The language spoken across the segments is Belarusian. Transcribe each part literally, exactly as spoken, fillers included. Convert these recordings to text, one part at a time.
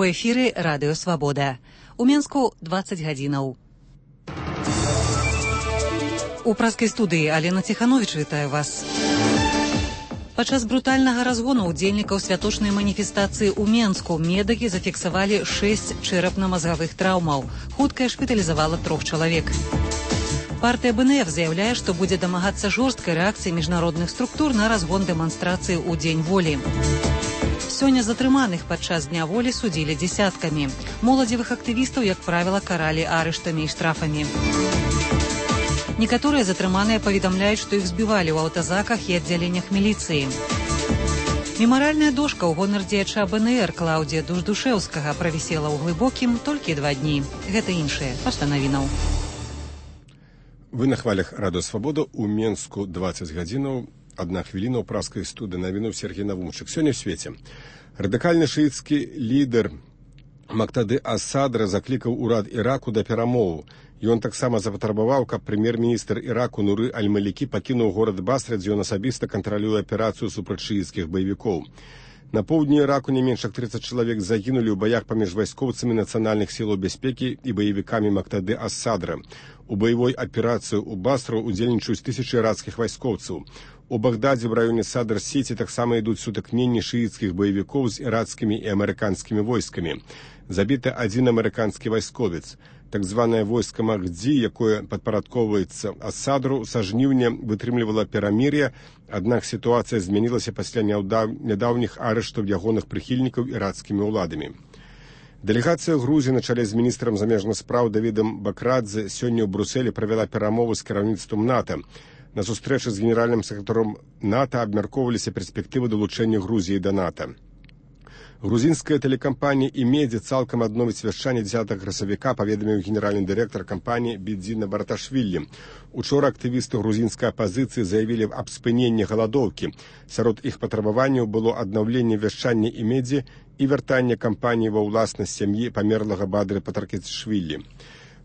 У эфіры Радыё Свабода. У Менску дваццаць гадзінаў. У праскай студыі Алена Ціхановіч вітаю вас. Падчас брутальнага разгону ўдзельнікаў святочнай маніфестацыі ў Менску медыкі зафіксавалі шэсць чэрапна-мазгавых траўмаў. Хуткая шпіталізавала трох чалавек. Партыя бэ эн эф заяўляе, што будзе дамагацца жорсткай рэакцыі міжнародных структур на разгон дэманстрацыі ў Дзень волі. Сёння затрыманых падчас Дня волі судзілі дзесяткамі. Моладзевых актывістаў, як правіла, каралі арыштамі і штрафамі. Некаторыя затрыманыя паведамляюць, што іх збівалі ў аўтазаках і аддзяленнях міліцыі. Мемарыяльная дошка ў гонар дзеяча бэ эн эр Клаўдзія Дуждушэўскага правісела ў Глыбокім толькі два дні. Гэта іншае. Пасля навінаў. Вы на хвалях Радыё Свабода. У Менску дваццаць гадзінаў. Одна хвіліна ў праскай студыі. Навінуў Сергей Навумчык. Сёння ў свеце радыкальны шыіцкі лідар Мактады ас-Садра заклікаў урад Іраку да перамоў. Ён таксама запатрабаваў, каб прэм'ер-міністр Іраку Нуры аль-Малікі пакінуў горад Басра, дзе ён асабіста кантралюе аперацыю супраць шыіцкіх баевікоў. На поўдні Іраку не менш як трыццаць чалавек загінулі ў баях паміж вайскоўцамі нацыянальных сілаў бяспекі і баевікамі Мактады ас-Садра. У баявой аперацыі ў Басру удзельнічаюць тысячы іракскіх вайскоўцаў. У Багдадзе в раёне Садр-Сіці таксама ідуць сутыкненні шыіцкіх баевікоў з іракскімі і амерыканскімі войскамі. Забіты адзін амерыканскі вайсковец. Так званае войска Махдзі, якое падпарадковваецца ас-Садру, са жніўня вытрымлівала перамір'е, аднак сітуацыя змянілася пасля нядаўніх арыштаў ягоных прыхільнікаў іракскімі ўладамі. Дэлегацыя Грузіі на чале з міністрам замежных спраў Давідам Бакрадзе сёння ў Брусэлі правяла перамовы з кіраўніцтвам НАТО. На сустрэчы з генеральным сакратаром НАТО абмяркоўваліся перспектывы далучэння Грузіі да НАТО. Грузінская тэлекампанія «Імедзі» цалкам адновіць вяшчанне дзесятага красавіка, паведаміў генеральны дырэктар кампаніі Бідзіна Барташвілі. Учора актывісты грузінскай апазіцыі заявілі аб спыненні галадоўкі. Сярод іх патрабаванняў было аднаўленне вяшчання «Імедзі» і вяртанне кампаніі ва ўласнасць сям'і памерлага Бадры Патаркешвілі.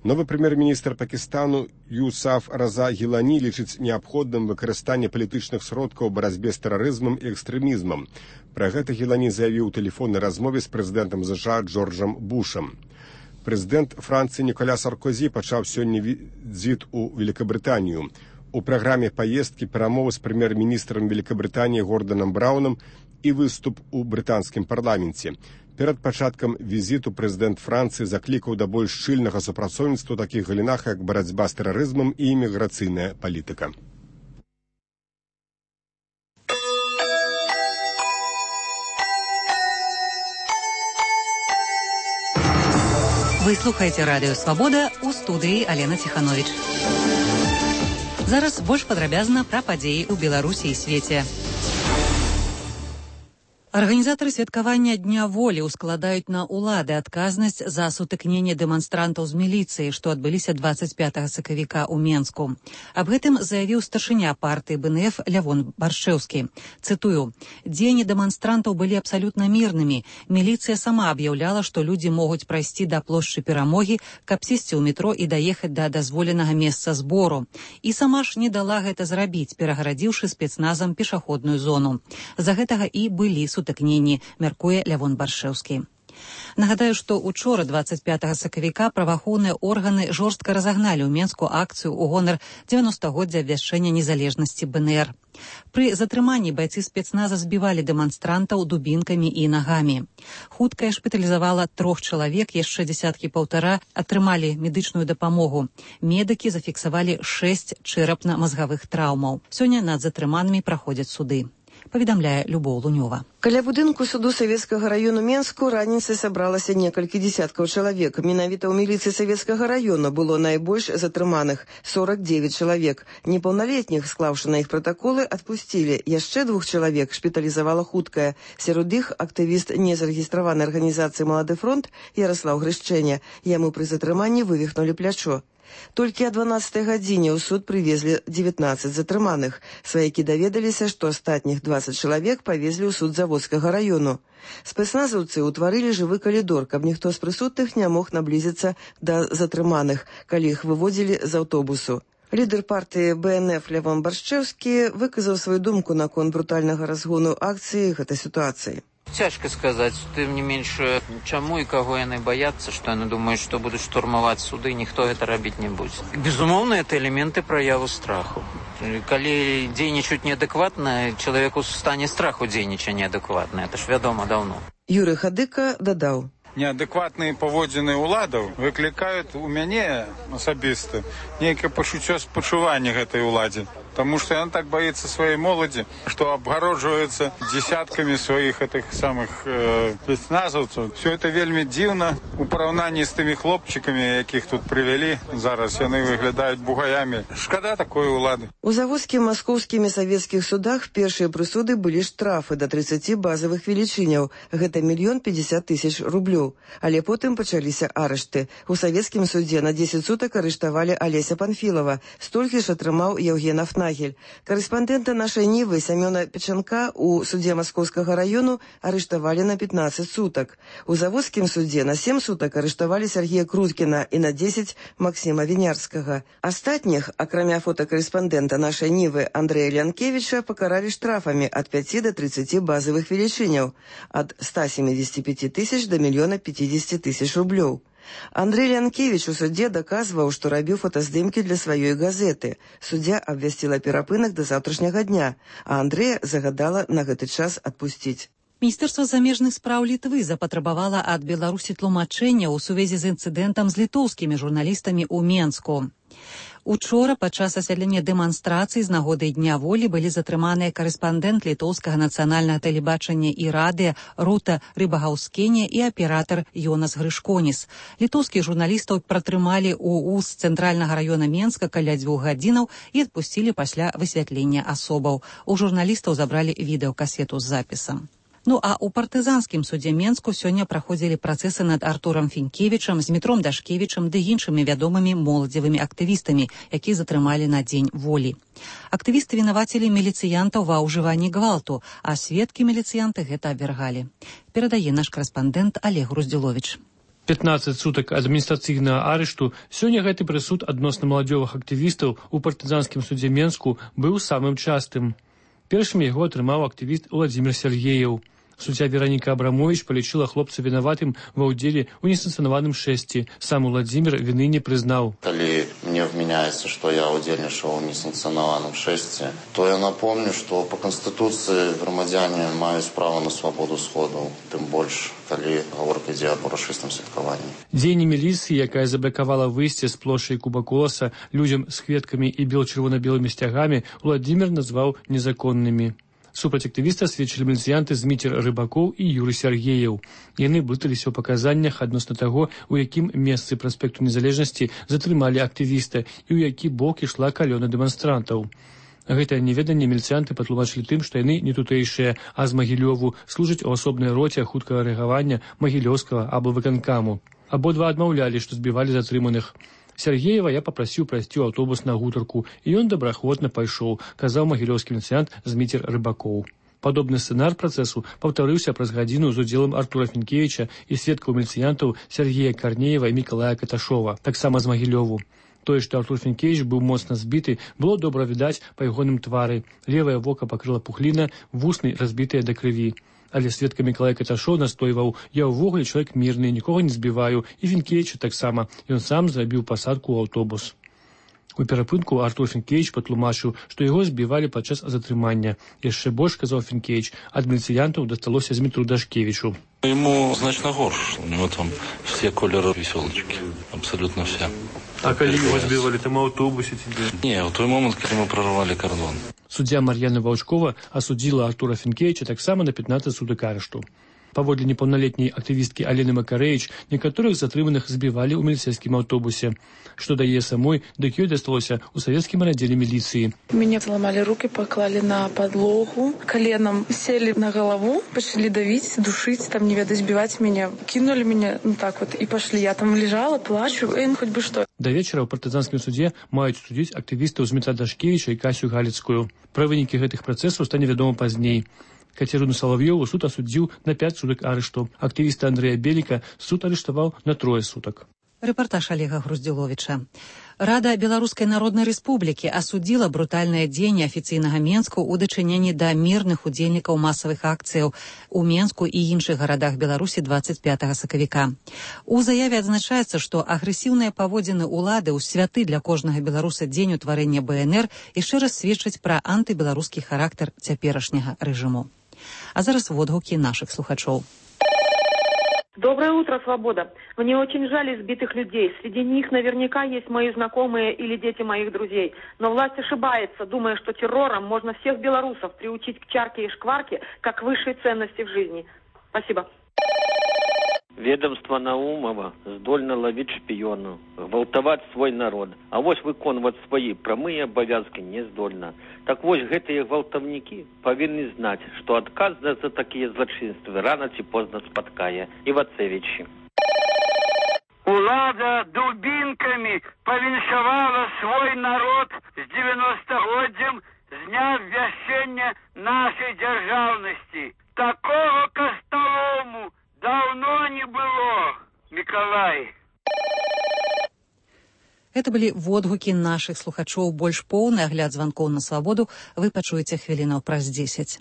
Новы прэм'ер-міністр Пакістану Юсаф Раза Гілані лічыць неабходным выкарыстанне палітычных сродкаў у барацьбе з тэрарызмам і экстрэмізмам. Пра гэта Гілані заявіў у тэлефоннай размове з прэзідэнтам ЗША Джорджам Бушам. Прэзідэнт Францыі Ніколя Саркозі пачаў сёння візіт у Великабрытанію. У праграме паездкі перамовы з прэм'ер-міністрам Великабрытаніі Горданам Браўнам і выступ у брытанскім парламенце. Перад пачаткам візіту прэзідэнт Францыі заклікаў да больш шчыльнага супрацоўніцтва ў такіх галінах, як барацьба з тэрарызмам і іміграцыйная палітыка. Вы слухаеце Радыё Свабода, у студыі Алена Ціхановіч. Зараз больш падрабязна пра падзеі ў Беларусі і свеце. Арганізатары святкавання Дня волі ускладаюць на ўлады адказнасць за сутыкненне дэманстрантаў з міліцыяй, што адбыліся дваццаць пятага сакавіка ў Менску. Аб гэтым заявіў старшыня партыі бэ эн эф Лявон Баршэўскі. Цытую: «Дзеянні дэманстрантаў былі абсалютна мірнымі. Міліцыя сама аб'яўляла, што людзі могуць прайсці да плошчы Перамогі, каб сесці ў метро і даехаць да дазволенага месца збору. І сама ж не дала гэта зрабіць, перагарадзіўшы спецназам пешаходную зону. За гэтага і былі сутыкненні», мяркуе Лявон Баршэўскі. Нагадаю, што учора дваццаць пятага сакавіка праваахоўныя органы жорстка разагналі ў Менску акцыю ў гонар дзевяностагоддзя абвяшчэння незалежнасці бэ эн эр. Пры затрыманні байцы спецназа збівалі дэманстрантаў дубінкамі і нагамі. Хуткая шпіталізавала трох чалавек, яшчэ дзесяткі паўтара атрымалі медычную дапамогу. Медыкі зафіксавалі шэсць чэрапна-мазгавых траўмаў. Сёння над затрыманымі праходзяць суды. Паведамляе Любоў Лунёва. Каля будынку суду Савецкага раёну Менску раніцай сабралася некалькі дзесяткаў чалавек. Менавіта ў міліцыі Савецкага раёна было найбольш затрыманых – сорок девять чалавек. Непаўналетніх, склаўшы на іх пратаколы, адпусцілі. Яшчэ двух чалавек шпіталізавала хуткая. Сярод іх актывіст незарэгістраванай арганізацыі «Малады фронт» Яраслаў Грышчэня. Яму пры затрыманні вывіхнулі плячо. Толькі о дванаццатай гадзіне ў суд прывезлі дзевятнаццаць затрыманых. Сваякі даведаліся, што астатніх дваццаць чалавек павезлі ў суд Заводскага раёну. Спецназаўцы ўтварылі жывы калідор, каб ніхто з прысутных не мог наблізіцца да затрыманых, калі іх выводзілі з аўтобусу. Лідар партыі Бэ Эн Эф Лявон Баршчэўскі выказаў сваю думку наконт брутальнага разгону акцыі гэтай сітуацыі. Цяжка сказаць, тым не менш, чаму і каго яны баяцца, што яны думаюць, што будуць штурмаваць суды, ніхто гэта рабіць не будзе. Безумоўна, это элементы праяву страху. Калі дзейнічаюць неадэкватна, чалавеку ў стане страху дзейнічае неадэкватна, это ж вядома даўно. Юрый Хадыка дадаў. Неадэкватныя паводзіны ўладаў выклікаюць у мяне асабіста нейкае пачуццё спачування гэтай уладзе. Потому что она так боится своей молоди, что обгородживается десятками своих этих самых э, спецназовцев. Все это вельми дивно у порівнянні з тими хлопчиками, яких тут привели. Зараз вони виглядають бугаями. Шкода такої улади. У заводскім маскоўскімі савецкіх судах першыя прысуды былі штрафы да трыццаці базавых велічыняў. Гэта мільён пятьдесят тысяч рублёў. Але потым пачаліся арышты. У савецкім судзе на дзесяць сутак арыштавалі Алеся Панфілова. Столькі ж атрымаў Евген Афнагель. Карэспандэнта нашай Нівы Сямёна Печанка у судзе Маскоўскага раёну арыштавалі на пятнадцать сутак. У заводскім судзе на семь сутак арыштавалі Сергея Круткіна і на дзесяць Максіма Вінярскага. Астатніх, акрамя фотакарэспандэнта нашай Нівы Андрэя Лянкевіча, пакаралі штрафамі ад пяці да трыццаці базавых велічыняў, ад ста семидесяти пяти тысяч да мільёна пятидесяти тысяч рублёў. Андрей Лянкевич у судзе даказваў, што рабіў фотаздымкі для сваёй газеты. Суддзя абвясціла перапынак да заўтрашняга дня, а Андрэя загадала на гэты час адпусціць. Міністэрства замежных спраў Літвы запатрабавала ад Беларусі тлумачэння ў сувязі з інцыдэнтам з літоўскімі журналістамі ў Менску. Учора падчас асвятлення дэманстрацыі з нагоды Дня волі былі затрыманыя карэспандэнт літоўскага нацыянальнага тэлебачання і радыё Рута Рыбагаўскене і аператар Йонас Грышконіс. Літоўскіх журналістаў пратрымалі ў УЗ цэнтральнага раёна Менска каля дзвюх гадзінаў і адпусцілі пасля высвятлення асобаў. У журналістаў забралі відэакасету з запісам. Ну а ў партызанскім судзе Менску сёння праходзілі працэсы над Артурам Фінкевічам, Змітром Дашкевічам ды іншымі вядомымі моладзевымі актывістамі, якіх затрымалі на Дзень волі. Актывісты вінавацілі міліцыянтаў ва ўжыванні гвалту, а сведкі міліцыянты гэта абвяргалі. Перадае наш карэспандэнт Олег Груздзіловіч. пятнадцать сутак адміністрацыйнага арышту сёння гэты прысуд адносна маладзёвых актывістаў у партызанскім судзе Менску быў самым частым. Першым яго атрымаў актывіст Владзімір Сергеяў. Суддзя Вераніка Абрамовіч палічыла хлопца вінаватым ва ўдзеле ў несанкцыянаваным шэсці. Сам Владзімір віны не прызнаў. Калі мне вменяецца, што я ўдзельнічаў у несанкцыянаваным шэсці, то я напомню, што па Канстытуцыі грамадзяне маюць права на свабоду сходу, тым больш, калі гаворка ідзе аб урачыстым святкаванні. Дзеянне міліцыі, якая заблакавала выйсце з плошчы Куба-Коласа людзям з кветкамі і бел-чырвона-белымі сцягамі, Владзімір назваў незаконнымі. Супраць актывіста сведчылі міліцыянты Зміцер Рыбакоў і Юрый Сергеяў. Яны блыталіся ў паказаннях адносна таго, у якім месцы праспекту Незалежнасці затрымалі актывіста і ў які бок ішла калёна дэманстрантаў. Гэтае неведанне міліцыянты патлумачылі тым, што яны не тутэйшыя, а з Магілёву, служаць у асобнай роце хуткага рэагавання Магілёўскага аблвыканкаму. Абодва адмаўлялі, што збівалі затрыманых. Сергеева я папрасіў прайсці ў аўтобус на гутарку, і ён добраахвотна пайшоў, казаў магілёўскі міліцыянт Зміцер Рыбакоў. Падобны сцэнар працэсу паўтарыўся праз гадзіну з удзелам Артура Фінкевіча і сведкаў міліцыянтаў Сергея Карнеева і Мікалая Каташова, таксама з Магілёву. Тое, што Артур Фінкевіч быў моцна збіты, было добра відаць па ягоным твары. Левае вока пакрыла пухліна, вусны разбітыя да крыві. Але сведка Мікалай Каташоў настойваў: я ўвогуле чалавек мірны, нікога не збіваю, і Фінкевіча таксама. Ён сам зрабіў пасадку ў аўтобус. У перапынку Артур Фінкевіч патлумачыў, што яго збівалі падчас затрымання. Яшчэ больш, казаў Фінкевіч, ад міліцыянтаў дасталося Змітру Дашкевічу. Ему значно горш, у него там все колеры веселочки, абсолютно все. А калі его збівалі, там у аўтобусе ці дзе? Не, в той момент, калі мы прорвали кордон. Суддзя Мар'яна Ваўчкова асудзіла Артура Фінкевіча таксама на пятнадцать сутак арышту. Паводле непаўналетняй актывісткі Алены Макарэвіч, некаторых затрыманых збівалі ў міліцэйскім аўтобусе. Што дае самой, дык ёй дасталося ў савецкім радзеле міліцыі. Мяне зламалі руки, паклалі на падлогу, коленам сели на галаву, пачалі давіць, душыць, там не ведаць, збіваць мяне, кінулі мяне, ну так вот, і пашлі. Я там лежала, плачу, эй, хоть бы што. Да вечара ў партызанскім судзе маюць судзіць актывістаў Змітра Дашкевіча і Касю Галіцкую. Пра вынікі гэтых працэсаў стане вядома пазней. Кацярыну Салав'ёву суд асудзіў на пяць сутак арышту. Актывіста Андрэя Беліка суд арыштаваў на трое сутак. Рэпартаж Олега Груздзіловіча. Рада Беларускай Народнай Рэспублікі асудзіла брутальнае дзеянне афіцыйнага Менску ў дачыненні да мірных удзельнікаў масавых акцыяў у Менску і іншых гарадах Беларусі двадцать пятага сакавіка. У заяве адзначаецца, што агрэсіўныя паводзіны ўлады ў святы для кожнага беларуса дзень утварэння бэ эн эр яшчэ раз сведчаць пра антыбеларускі характар цяперашняга рэжыму. А зараз водгукі нашых слухачоў. Доброе утро, Свобода. Мне очень жаль избитых людей. Среди них наверняка есть мои знакомые или дети моих друзей. Но власть ошибается, думая, что террором можно всех белорусов приучить к чарке и шкварке, как высшей ценности в жизни. Спасибо. Ведомство Наумова здольно ловить шпионов, гвалтовать свой народ, а вось выконывать свои прамые обовязки не здольно. Так вось гэтыя гвалтовники повинны знать, что отказ за такие злочинства рано ці поздно спаткае. Ивацевичи. Улада дубинками повіншавала свой народ с девяностогоддзям з дня ввящення нашей державности. Такого костолому давно не было, Миколай. Это былі водгукі нашых слухачоў. Больш поўны агляд званкоў на свабоду вы пачуеце хвілінаў праз дзесяць.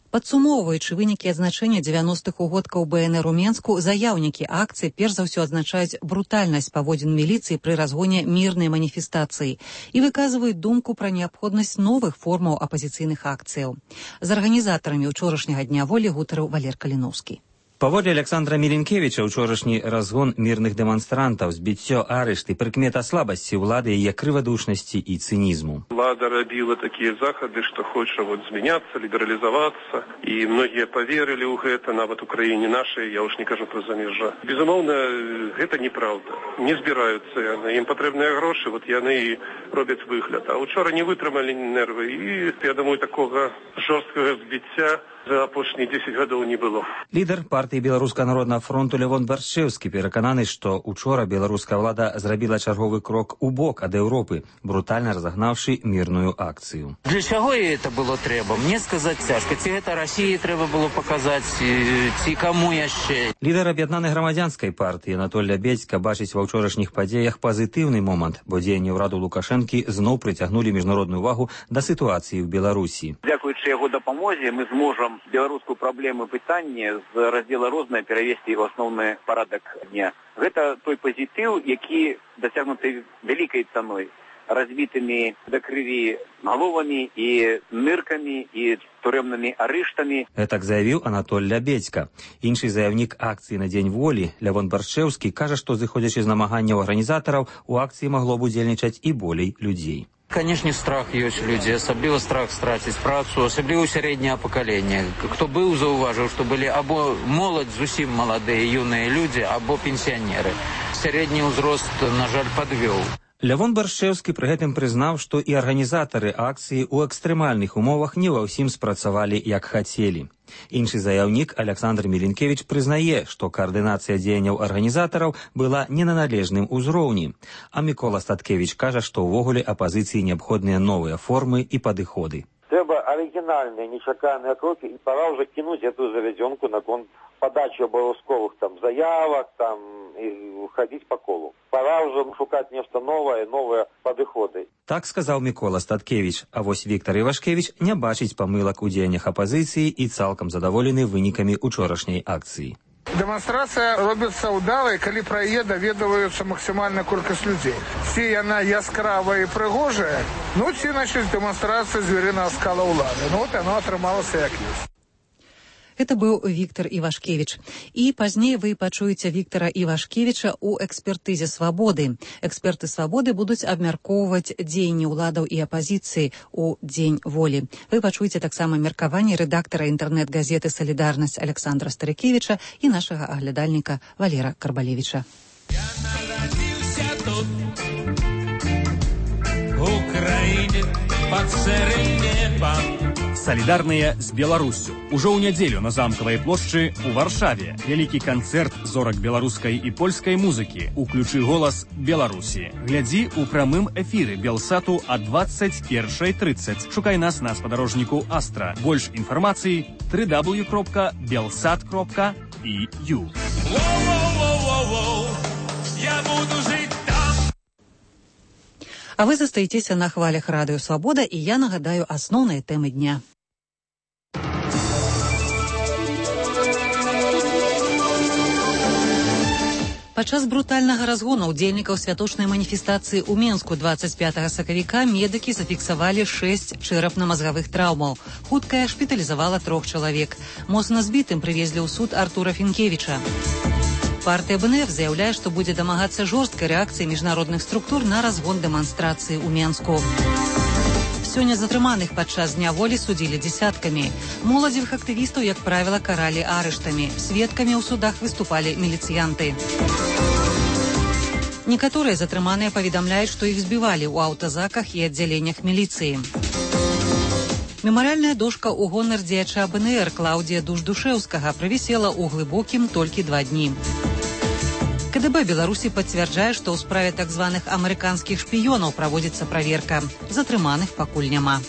Падсумоўваючы вынікі адзначэння дзевяностых угодкаў бэ эн эр у Менску, заяўнікі акцыі перш за ўсё адзначаюць брутальнасць паводзін міліцыі пры разгоне мірнай маніфестацыі і выказваюць думку пра неабходнасць новых формаў апазіцыйных акцыяў. З арганізатарамі ўчорашняга дня волі гутарыў Валер Каліноўскі. Паводле Александра Міленкевіча, учорашні разгон мірных дэманстрантаў, збіццё арышты, прыкмета слабасці ўлады, яе крывадушнасці і цынізму. Влада рабіла такія захады, што хоча вот змяняцца, лібералізавацца, і многія паверылі ў гэта, нават у краіне нашай, я ўж не кажу пра замежжа. Безумоўна, гэта неправда. Не збіраюцца яны, ім патрэбныя грошы, вот яны і робяць выгляд. А учора не вытрымалі нервы, і, я думаю, такога жорсткага збіцця за апошнія дзесяць гадоў не было. Лідар партыі Беларускага народнага фронту Лявон Баршчэўскі перакананы, што учора беларуская ўлада зрабіла чарговы крок у бок ад Еўропы, брутальна разагнаўшы мірную акцыю. Для чаго ей это было трэба? Мне сказаць цяжка. Ці гэта Расіі трэба было паказаць, ці каму яшчэ? Лідар аб'яднанай грамадзянскай партыі Анатоль Лябедзька бачыць ва ўчорашніх падзеях пазітыўны момант, бо дзеянні ўраду Лукашэнкі зноў прыцягнулі міжнародную ўвагу да сітуацыі ў Беларусі. Дзякуючы яго дапамозе мы зможам беларускую праблему пытання з раздзела рознае перавесці ў асноўны парадак дня. Гэта той пазітыў, які дасягнуты вялікай цаной, разбітымі да крыві галовамі і ныркамі і турэмнымі арыштамі. Гэтак заявіў Анатоль Лябедзька. Іншы заявнік акцыі на Дзень волі, Лявон Баршчэўскі, кажа, што зыходзячы з намаганняў арганізатараў, у акцыі магло б удзельнічаць і болей людзей. Конечно, страх ёсць у людзей, асабліва страх страціць працу, асабліва сярэдняе пакаленне. Хто быў, заўважыў, што былі або моладзь, зусім маладыя юныя людзі, або пенсіянеры. Сярэдні ўзрост, на жаль, падвёў. Лявон Баршчэўскі пры гэтым прызнаў, што і арганізатары акцыі ў экстрэмальных умовах не ва ўсім спрацавалі, як хацелі. Іншы заяўнік Александр Міленкевіч прызнае, што каардынацыя дзеянняў арганізатараў была не на належным узроўні. А Мікола Статкевіч кажа, што ўвогуле апазіцыі неабходныя новыя формы і падыходы. Трэба арыгінальныя, нечаканыя крокі, і пора ўжо кінуць эту завядзёнку наконт падачы абавязковых там заявак, там і хадзіць па колу. Пора ўжо шукаць нешта новае, новыя падыходы. Так сказаў Мікола Статкевіч, а вось Віктор Івашкевіч не бачыць памылак у дзеяннях апазіцыі і цалкам задаволены вынікамі учорашняй акцыі. Дэманстрацыя робіцца ўдалай, калі пра яе даведваюцца максімальная колькасць людзей. Ці яна яскравая і прыгожая, ну ці, значыць, дэманстрацыя зверынага скала ўлады. Ну, от яно атрымалася як ёсць. Это быў Віктор Івашкевіч. І пазней вы пачуеце Віктора Івашкевіча ў экспертызе свабоды. Эксперты свабоды будуць абмяркоўваць дзеянні ўладаў і апазіцыі ў Дзень волі. Вы пачуеце таксама меркаванне рэдактара інтэрнэт-газеты «Салідарнасць» Александра Старыкевіча і нашага аглядальніка Валера Карбалевіча. Я нарадзіўся тут, у краіне пад сырым небам. Салідарныя з Беларуссю. Ужо ў нядзелю на замкавай плошчы ў Варшаве вялікі канцэрт зорак беларускай і польскай музыкі «Уключы голас Беларусі». Глядзі ў прамым эфіры Белсату а двадцать першая тридцать. Шукай нас на спадарожніку Астра. Больш інфармацыі дабл ю дабл ю дабл ю крапка белсат крапка і ю. Воу-воу-воу-воу-воу, я буду жить там. А вы застаецеся на хвалях Радыё Свабода, і я нагадаю асноўныя тэмы дня. Падчас брутальнага разгону ўдзельнікаў святочнай маніфестацыі ў Менску дваццаць пятага сакавіка медыкі зафіксавалі шэсць чэрапна-мазгавых траўмаў. Хуткая шпіталізавала трох чалавек. Моцна збітым прывезлі ў суд Артура Фінкевіча. Партыя БНФ заяўляе, што будзе дамагацца жорсткай рэакцыі міжнародных структур на разгон дэманстрацыі ў Менску. Сёння затрыманых падчас дня волі судзілі дзесяткамі. Моладзевых актывістаў, як правіла, каралі арыштамі. Сведкамі ў судах выступалі міліцыянты. Некаторыя затрыманыя паведамляюць, што іх збівалі ў аўтазаках і аддзяленнях міліцыі. Мемарыяльная дошка ў гонар дзеяча БНР Клаўдзія Душ-Душэўскага правісела ў глыбокім толькі два дні. КДБ Беларусі пацвярджае, што ў справе так званых амерыканскіх шпіёнаў праводзіцца праверка. Затрыманых пакуль няма.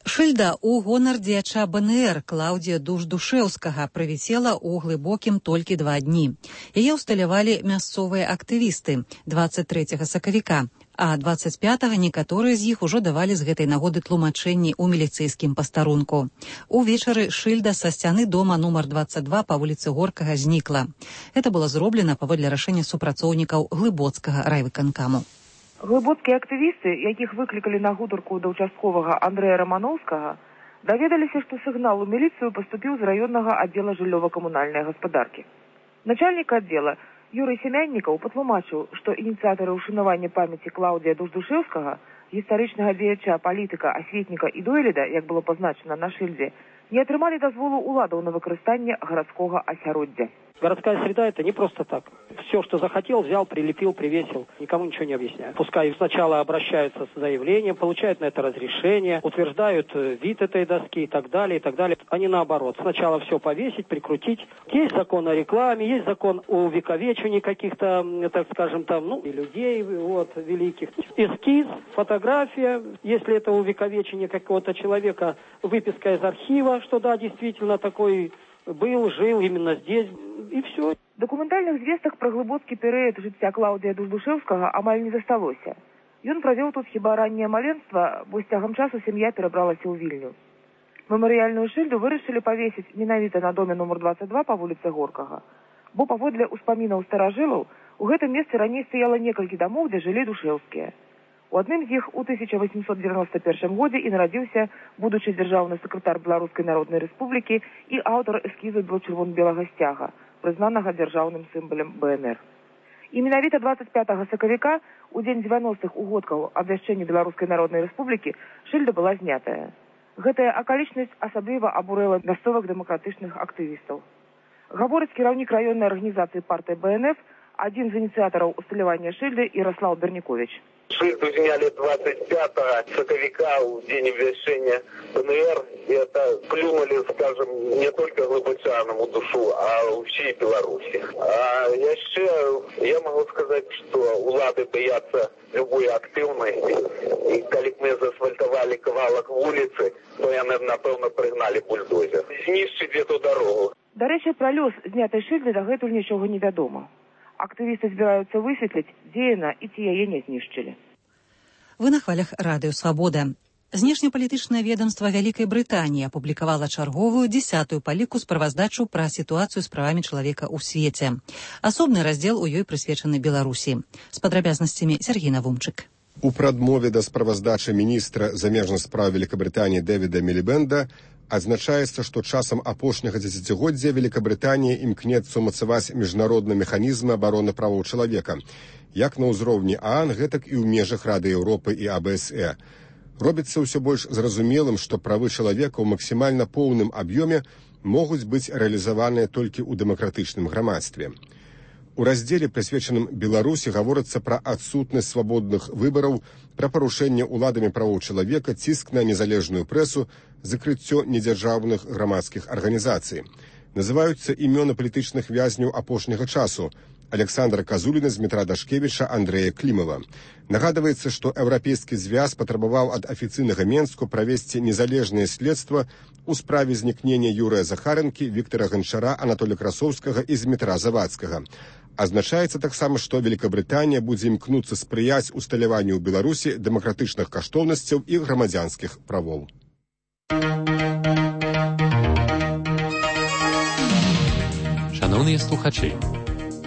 Шыльда ў гонар дзеяча БНР Клаўдзія Душ-Душэўскага правісела ў глыбокім толькі два дні. Яе ўсталявалі мясцовыя актывісты дваццаць трэцяга сакавіка, а дваццаць пятага некаторыя з іх ужо давалі з гэтай нагоды тлумачэнні ў міліцэйскім пастарунку. Увечары шыльда са сцяны дома нумар дваццаць два па вуліцы Горкага знікла. Гэта было зроблена паводле рашэння супрацоўнікаў Глыбоцкага райвыканкаму. Глыбоцкія актывісты, якіх выклікалі на гутарку да ўчастковага Андрэя Рамановскага, даведаліся, што сігнал у міліцыю паступіў з раённага аддзела жыллёва-камунальнай гаспадаркі. Начальнік аддзела Юрый Семяннікаў патлумачыў, што ініцыятары ўшанавання памяці Клаўдзія Душ-Душэўскага, гістарычнага дзеяча, палітыка, асветніка і дойліда, як было пазначана на шыльдзе, не атрымалі дазволу ўладаў на выкарыстанне гарадскога асяроддзя. Городская среда — это не просто так. Все, что захотел, взял, прилепил, привесил. Никому ничего не объясняют. Пускай сначала обращаются с заявлением, получают на это разрешение, утверждают вид этой доски и так далее, и так далее. А не наоборот. Сначала все повесить, прикрутить. Есть закон о рекламе, есть закон о увековечении каких-то, так скажем, там, ну, и людей, вот, великих. Эскиз, фотография. Если это увековечение какого-то человека, выписка из архива, что да, действительно такой был, жил именно здесь, и все. Дакументальных звестак пра глыбоцкі перыяд жыцця Клаўдзія Душ-Душэўскага амаль не засталося. Ён правёў тут хіба ранняе маленства, бо з цягам часу сям'я перабралася ў Вільню. Мемарыяльную шыльду вырашылі павесіць менавіта на доме нумар дваццаць два па вуліцы Горкага, бо паводле ўспамінаў старажылаў у гэтым месцы раней стаяла некалькі дамоў, дзе жылі душэўскія. У адным з іх у тысяча восемьсот девяносто первом годзе і нарадзіўся будучы дзяржаўны сакратар Беларускай Народнай Рэспублікі і аўтар эскізу чырвона-белага сцяга, прызнанага дзяржаўным сімвалам БНР. І менавіта дваццаць пятага сакавіка, у дзень дзевяностых угодкаў абвяшчэння Беларускай Народнай Рэспублікі, шыльда была знятая. Гэтая акалічнасць асабліва абурыла мясцовых дэмакратычных актывістаў. Гаворыць кіраўнік раённай арганізацыі партыі БНФ, адзін з ініцыятараў усталявання шыльды Ярослав Бернікович. Шыльду зняли двадцать пятого сакавіка у день обвящения БНР, и это плюнули, скажем, не только глыбочанам у душу, а у всей Беларуси. А яшчэ я могу сказать, что улады боятся любой активности, и когда мы заасфальтовали кавалок улицы, то яны, напевно, пригнали бульдозер. Знищить эту дорогу. До речі, про лёс знятай шыльды дагэтуль нічога не вядома. Актывісты збіраюцца высветліць, дзе яна і ці яе не знішчылі. Вы на хвалях Радыё Свабода. Знешнепалітычнае ведомства Вялікай Брытаніі апублікавала чарговую дзесятую па ліку справаздачу пра сітуацыю з правамі чалавека ў свеце. Асобны раздзел у ёй прысвечаны Беларусі. З падрабязнасцямі Сергей Навумчык. У прадмове да справаздачы міністра замежных спраў Великабрытаніі Дэвіда Мілібэнда адзначаецца, што часам апошняга дзесяцігоддзя Великабрытанія імкнецца ўмацаваць міжнародны механізм абароны правоў чалавека, як на ўзроўні ААН, гэтак і ў межах Рады Еўропы і А Б С Э. Робіцца ўсё больш зразумелым, што правы чалавека ў максімальна поўным аб'ёме могуць быць рэалізаваныя толькі ў дэмакратычным грамадстве. У раздзеле, прысвечаным Беларусі, гаворыцца пра адсутнасць свабодных выбараў, пра парушэнне ўладамі правоў чалавека, ціск на незалежную прэсу, закрыццё недзяржаўных грамадскіх арганізацый. Называюцца імёны палітычных вязняў апошняга часу, Александра Казуліна, Дмітра Дашкевіча, Андрэя Клімова. Нагадваецца, што еўрапейскі звяз патрабаваў ад афіцыйнага Менску правесці незалежнае следства у справе знікнення Юрыя Захарэнкі, Віктара Ганчара, Анатолія Красоўскага і Дмітра Завадскага. Азначаецца таксама, што Великабрытанія будзе імкнуцца спрыяць усталяванню ў Беларусі дэмакратычных каштоўнасцяў і грамадзянскіх правоў. Шановныя слухачы,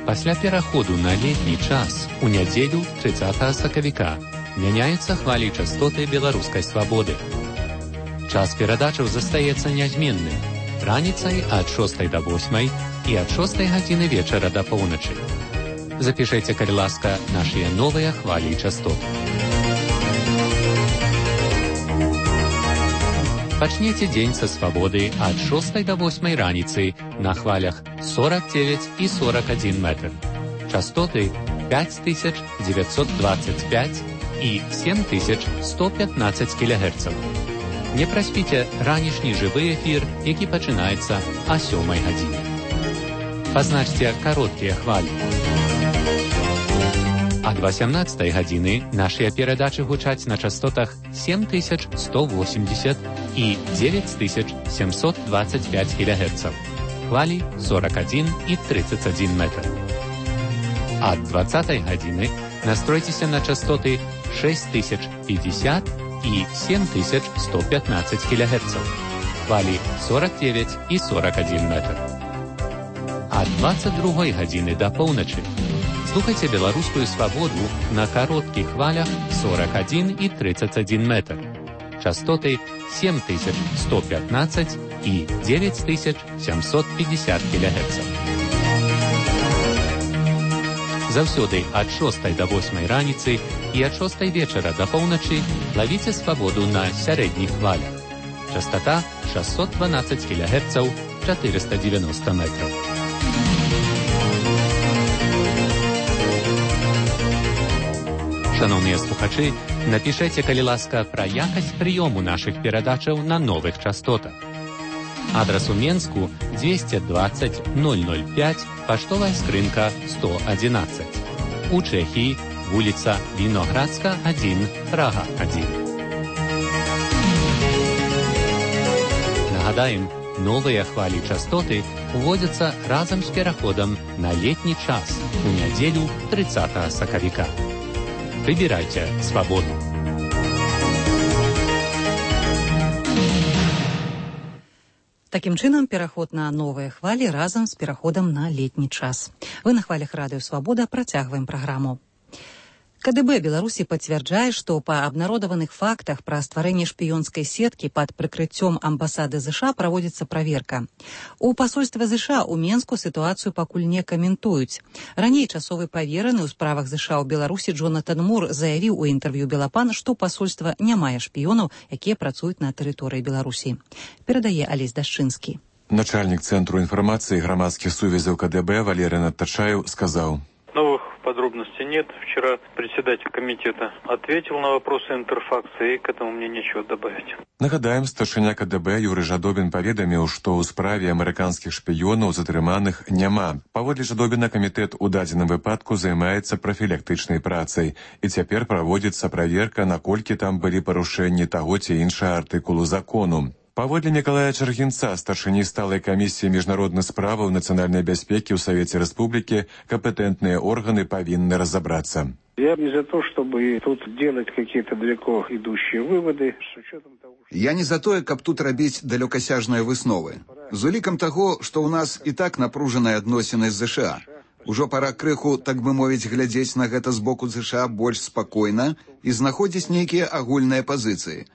пасля пераходу на летні час у нядзелю трыццатага сакавіка мяняюцца хвалі частоты беларускай свабоды. Час перадачаў застаецца нязменным раніцай ад шостай да восьмай і ад шостай гадзіны вечара да поўначы. Запішайце, калі ласка, нашыя новыя хвалі частот. Пачнеце дзень са свабоды ад шостай да восьмай раніцы на хвалях сорок девять і сорок один метр. Частоты пять тысяч девятьсот двадцать пять і семь тысяч сто пятнадцать кілогерцаў. Не праспіце ранішні жывы эфір, які пачынаецца а сёмай гадзіне. Пазначце кароткія хвалі. Ад васямнаццатай гадзіны нашыя перадачы гучаць на частотах семь тысяч сто восемьдесят і девять тысяч семьсот двадцать пять кілогерцаў. Хвалі сорок один і тридцать один метр. Ад двадцатай гадзіны настройцеся на частоты шесть тысяч пятьдесят і семь тысяч сто пятнадцать кілогерцаў. Хвалі сорок девять і сорок один метр. Ад двадцать другой гадзіны да поўначы слухайце беларускую свабоду на кароткіх хвалях сорок один і тридцать один метр. Частоты семь тысяч сто пятнадцать і девять тысяч семьсот пятьдесят кілогерцаў. Заўсёды ад шостай да восьмай раніцы і ад шостай вечара да поўначы лавіце свабоду на сярэдніх хвалях. Частота шестьсот двенадцать кілогерцаў, четыреста девяносто метров. Шановныя слухачы, напішайце, калі ласка, пра якасць прыёму нашых перадачаў на новых частотах. Адрас у Менску двести двадцать ноль ноль пять, паштовая скрынка сто одиннадцать. У Чэхіі вуліца Віноградска один, Прага один. Нагадаем, новыя хвалі частоты уводзяцца разам з пераходам на летні час у нядзелю трыццатага сакавіка. Выбирайте свободу. Такім чынам, пераход на новыя хвалі разам з пераходам на летні час. Вы на хвалях радыё «Свабода» працягваем праграму. КДБ Беларусі пацвярджае, што па абнародаваных фактах пра стварэнне шпіёнскай сеткі пад прыкрыццём амбасады ЗША праводзіцца праверка. У пасольства ЗША ў Менску сітуацыю пакуль не каментуюць. Раней часовы павераны ў справах ЗША ў Беларусі Джонатан Мур заявіў у інтэрв'ю Белапан, што пасольства не мае шпіёнаў, якія працуюць на тэрыторыі Беларусі. Перадае Алесь Дашчынскі. Начальнік Цэнтру інфармацыі грамадскіх сувязяў КДБ Валерий Надтачаев сказаў: Новых подробностей нет. Вчера председатель комитета ответил на вопросы Интерфакса, и к этому мне нечего добавить. Нагадаем, старшыня КДБ Юрый Жадобин паведаміў, што ў справе амерыканскіх шпіёнаў затрыманых няма. Паводле Жадобіна, камітэт у дадзеным выпадку займаецца прафілактычнай працай, і цяпер праводзіцца праверка, наколькі там былі парушэнні таго ці іншага артыкулу закону. Паводле Мікалая Чаргінца, старшыні сталай камісіі міжнародных справаў нацыянальнай бяспекі ў Савеце Рэспублікі, кампетэнтныя органы павінны разобраться. Я не за то, чтобы тут делать какие-то далеко идущие выводы. Я не за тое, каб тут рабіць далёкасяжныя высновы. З улікам таго, што ў нас і так напружаныя адносіны з ЗША. Ужо пара крыху, так бы мовіць, глядзець на гэта з боку ЗША больш спакойна і знаходзіць нейкія агульныя пазіцыі.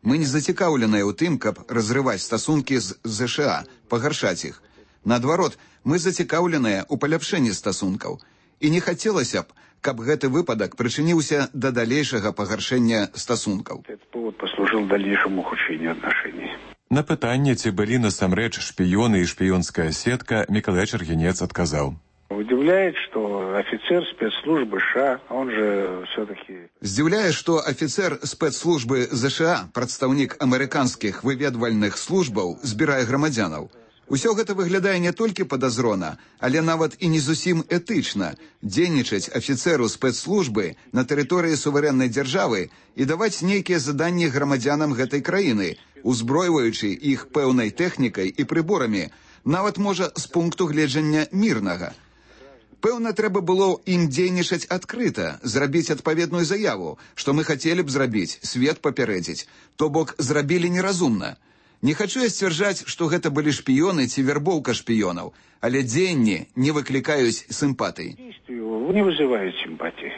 Мы не зацікаўленыя ў тым, каб разрываць стасункі з ЗША, пагаршаць іх. Наадварот, мы зацікаўленыя ў паляпшэнні стасункаў. І не хацелася б, каб гэты выпадак прычыніўся да далейшага пагаршэння стасункаў. Этот повод послужил дальнейшему ухудшению отношений. На пытанне, ці былі насамрэч шпіёны і шпіёнская сетка, Мікалай Чаргінец адказаў: Удивляет, что офицер спецслужбы США, он же все-таки... Здзіўляе, што афіцэр спецслужбы ЗША, прадстаўнік амерыканскіх выведвальных службаў, збірае грамадзянаў. Усё гэта выглядае не толькі падазрона, але нават і не зусім этычна дзейнічаць афіцэру спецслужбы на тэрыторыі суверэннай дзяржавы і даваць нейкія заданні грамадзянам гэтай краіны, узброіваючы іх пэўнай тэхнікай і прыборамі, нават можа з пункту гледжання мірнага. Пэўна, трэба было ім дзейнічаць адкрыта, зрабіць адпаведную заяву, што мы хацелі б зрабіць, свет папярэдзіць, то бок зрабілі неразумна. Не хачу я сцвярджаць, што гэта былі шпіёны ці вербоўка шпіёнаў, але дзеянні не выклікаюць сімпатый. Не вызываюць сімпатии.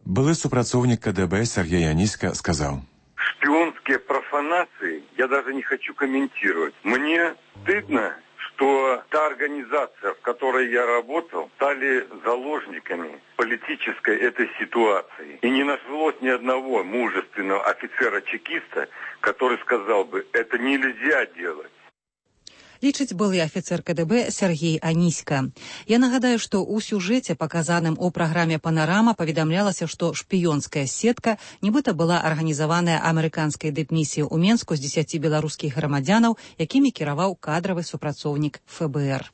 Былы супрацоўнік КДБ Сергей Аниська сказал: «Шпионские профанации я даже не хочу комментировать. Мне стыдно, что та организация, в которой я работал, стали заложниками политической этой ситуации. И не нашлось ни одного мужественного офицера-чекиста, который сказал бы, это нельзя делать». Лічыць былы афіцэр КДБ Сергей Аниська. Я нагадаю, што ў сюжэце, паказаным у праграме «Панарама», паведамлялася, што шпіёнская сетка нібыта была арганізаваная амерыканскай дыпмісіяй у Менску з дзесяці беларускіх грамадзянаў, якімі кіраваў кадравы супрацоўнік ФБР.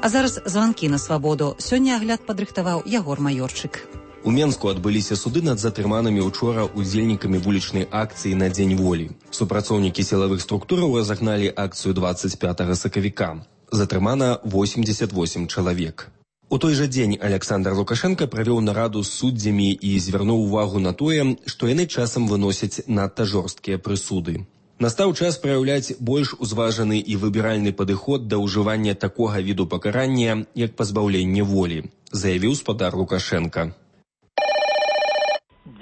А зараз званкі на свабоду. Сёння агляд падрыхтаваў Ягор Маёрчык. У Менску адбыліся суды над затрыманымі учора удзельнікамі вулічнай акцыі на Дзень волі. Супрацоўнікі сілавых структураў разагналі акцыю двадцать пятага сакавіка. Затрымана восемьдесят восемь чалавек. У той жа дзень Александр Лукашенко правёў нараду з суддзямі і звярнуў увагу на тое, што яны часам выносяць надта жорсткія прысуды. Настаў час праяўляць больш узважаны і выбіральны падыход да ўжывання такога віду пакарання, як пазбаўленне волі, заявіў спадар Лукашенко.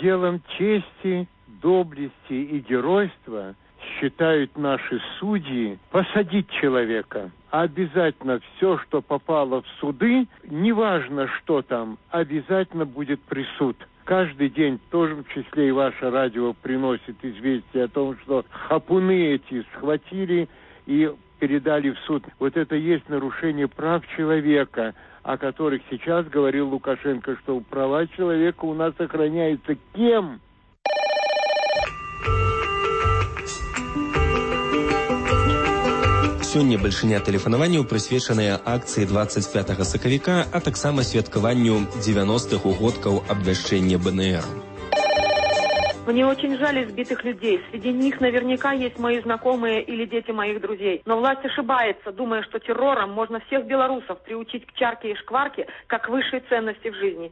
Делом чести, доблести и геройства считают наши судьи посадить человека. А обязательно все, что попало в суды, неважно что там, обязательно будет присуд. Каждый день, тоже в числе и ваше радио, приносит известие о том, что хапуны эти схватили и передали в суд. Вот это есть нарушение прав человека, о которых сейчас говорил Лукашенко, что права человека у нас охраняются кем? Сёння бальшыня тэлефанаванняў прысвечаная акцыі двадцать пятага сакавіка, а таксама святкаванню дзевяностых угодкаў абвяшчэння БНР. Мне очень жаль избитых людей. Среди них наверняка есть мои знакомые или дети моих друзей. Но власть ошибается, думая, что террором можно всех белорусов приучить к чарке и шкварке, как высшей ценности в жизни.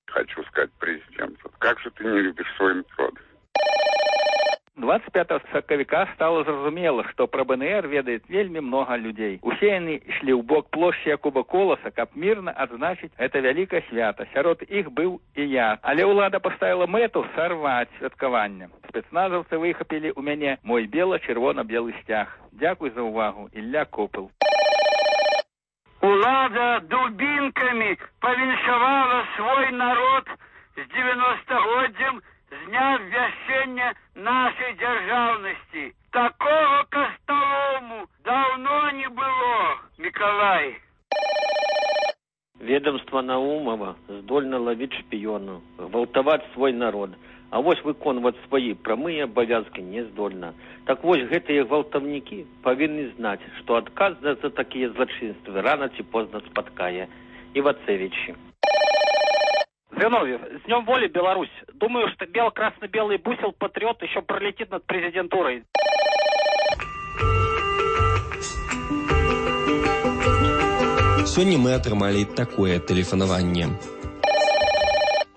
Хочу сказать президенту, как же ты не любишь свой народ? двадцать пятага сакавіка стало зразумела, што пра БНР ведает вельмі много людзей. Усе яны ішлі ў бок плошчы Якуба Коласа, каб мірна адзначыць гэта вялікае свята. Сярод іх быў і я. Але ўлада паставіла мэту сарваць святкаванне. Спецназаўцы выхапілі ў мяне мой бела-чырвона-белы сцяг. Дзякуй за ўвагу, Ілля Копыл. Улада дубинками повиншавала свой народ с девяностогоддзям з дня ввяшчэння нашей дзяржаўнасці. Такого костолому давно не было, Миколай. Ведомство Наумова здольно ловить шпионов, гвалтаваць свой народ, а вось выконваць свои прамыя абавязки не здольна. Так вось гэтыя гвалтаўнікі павінны знаць, што адказ за такія злачынствы рано ці позна спаткае. Ивацевичи. Зиновьев, с Днем воли, Беларусь. Думаю, что бело-красно-белый бусел патриот еще пролетит над президентурой. Сегодня мы атрымалі такое тэлефанаванне.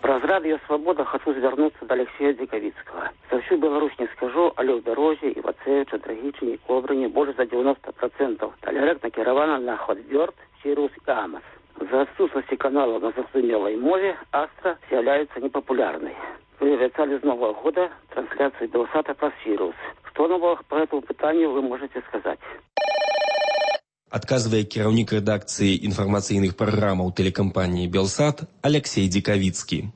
Праз радио «Свобода» хочу звернуться до Алексея Диковицкого. За всю Беларусь не скажу, але ў Дарозе, Ивацевича, Драгичине, Кобрыне больше за девяносто процентов. Талерек накіравана на Хотбёрд, Сирус и Амос. За отсутствие канала на зразумелой мове Астра является непопулярной. Вы обещали с Нового года трансляцию Белсата по Сирус. Что нового по этому питанию вы можете сказать? Адказвае кіраўнік рэдакцыі інфармацыйных праграмаў тэлекампаніі «Белсат» Алексей Диковицкий.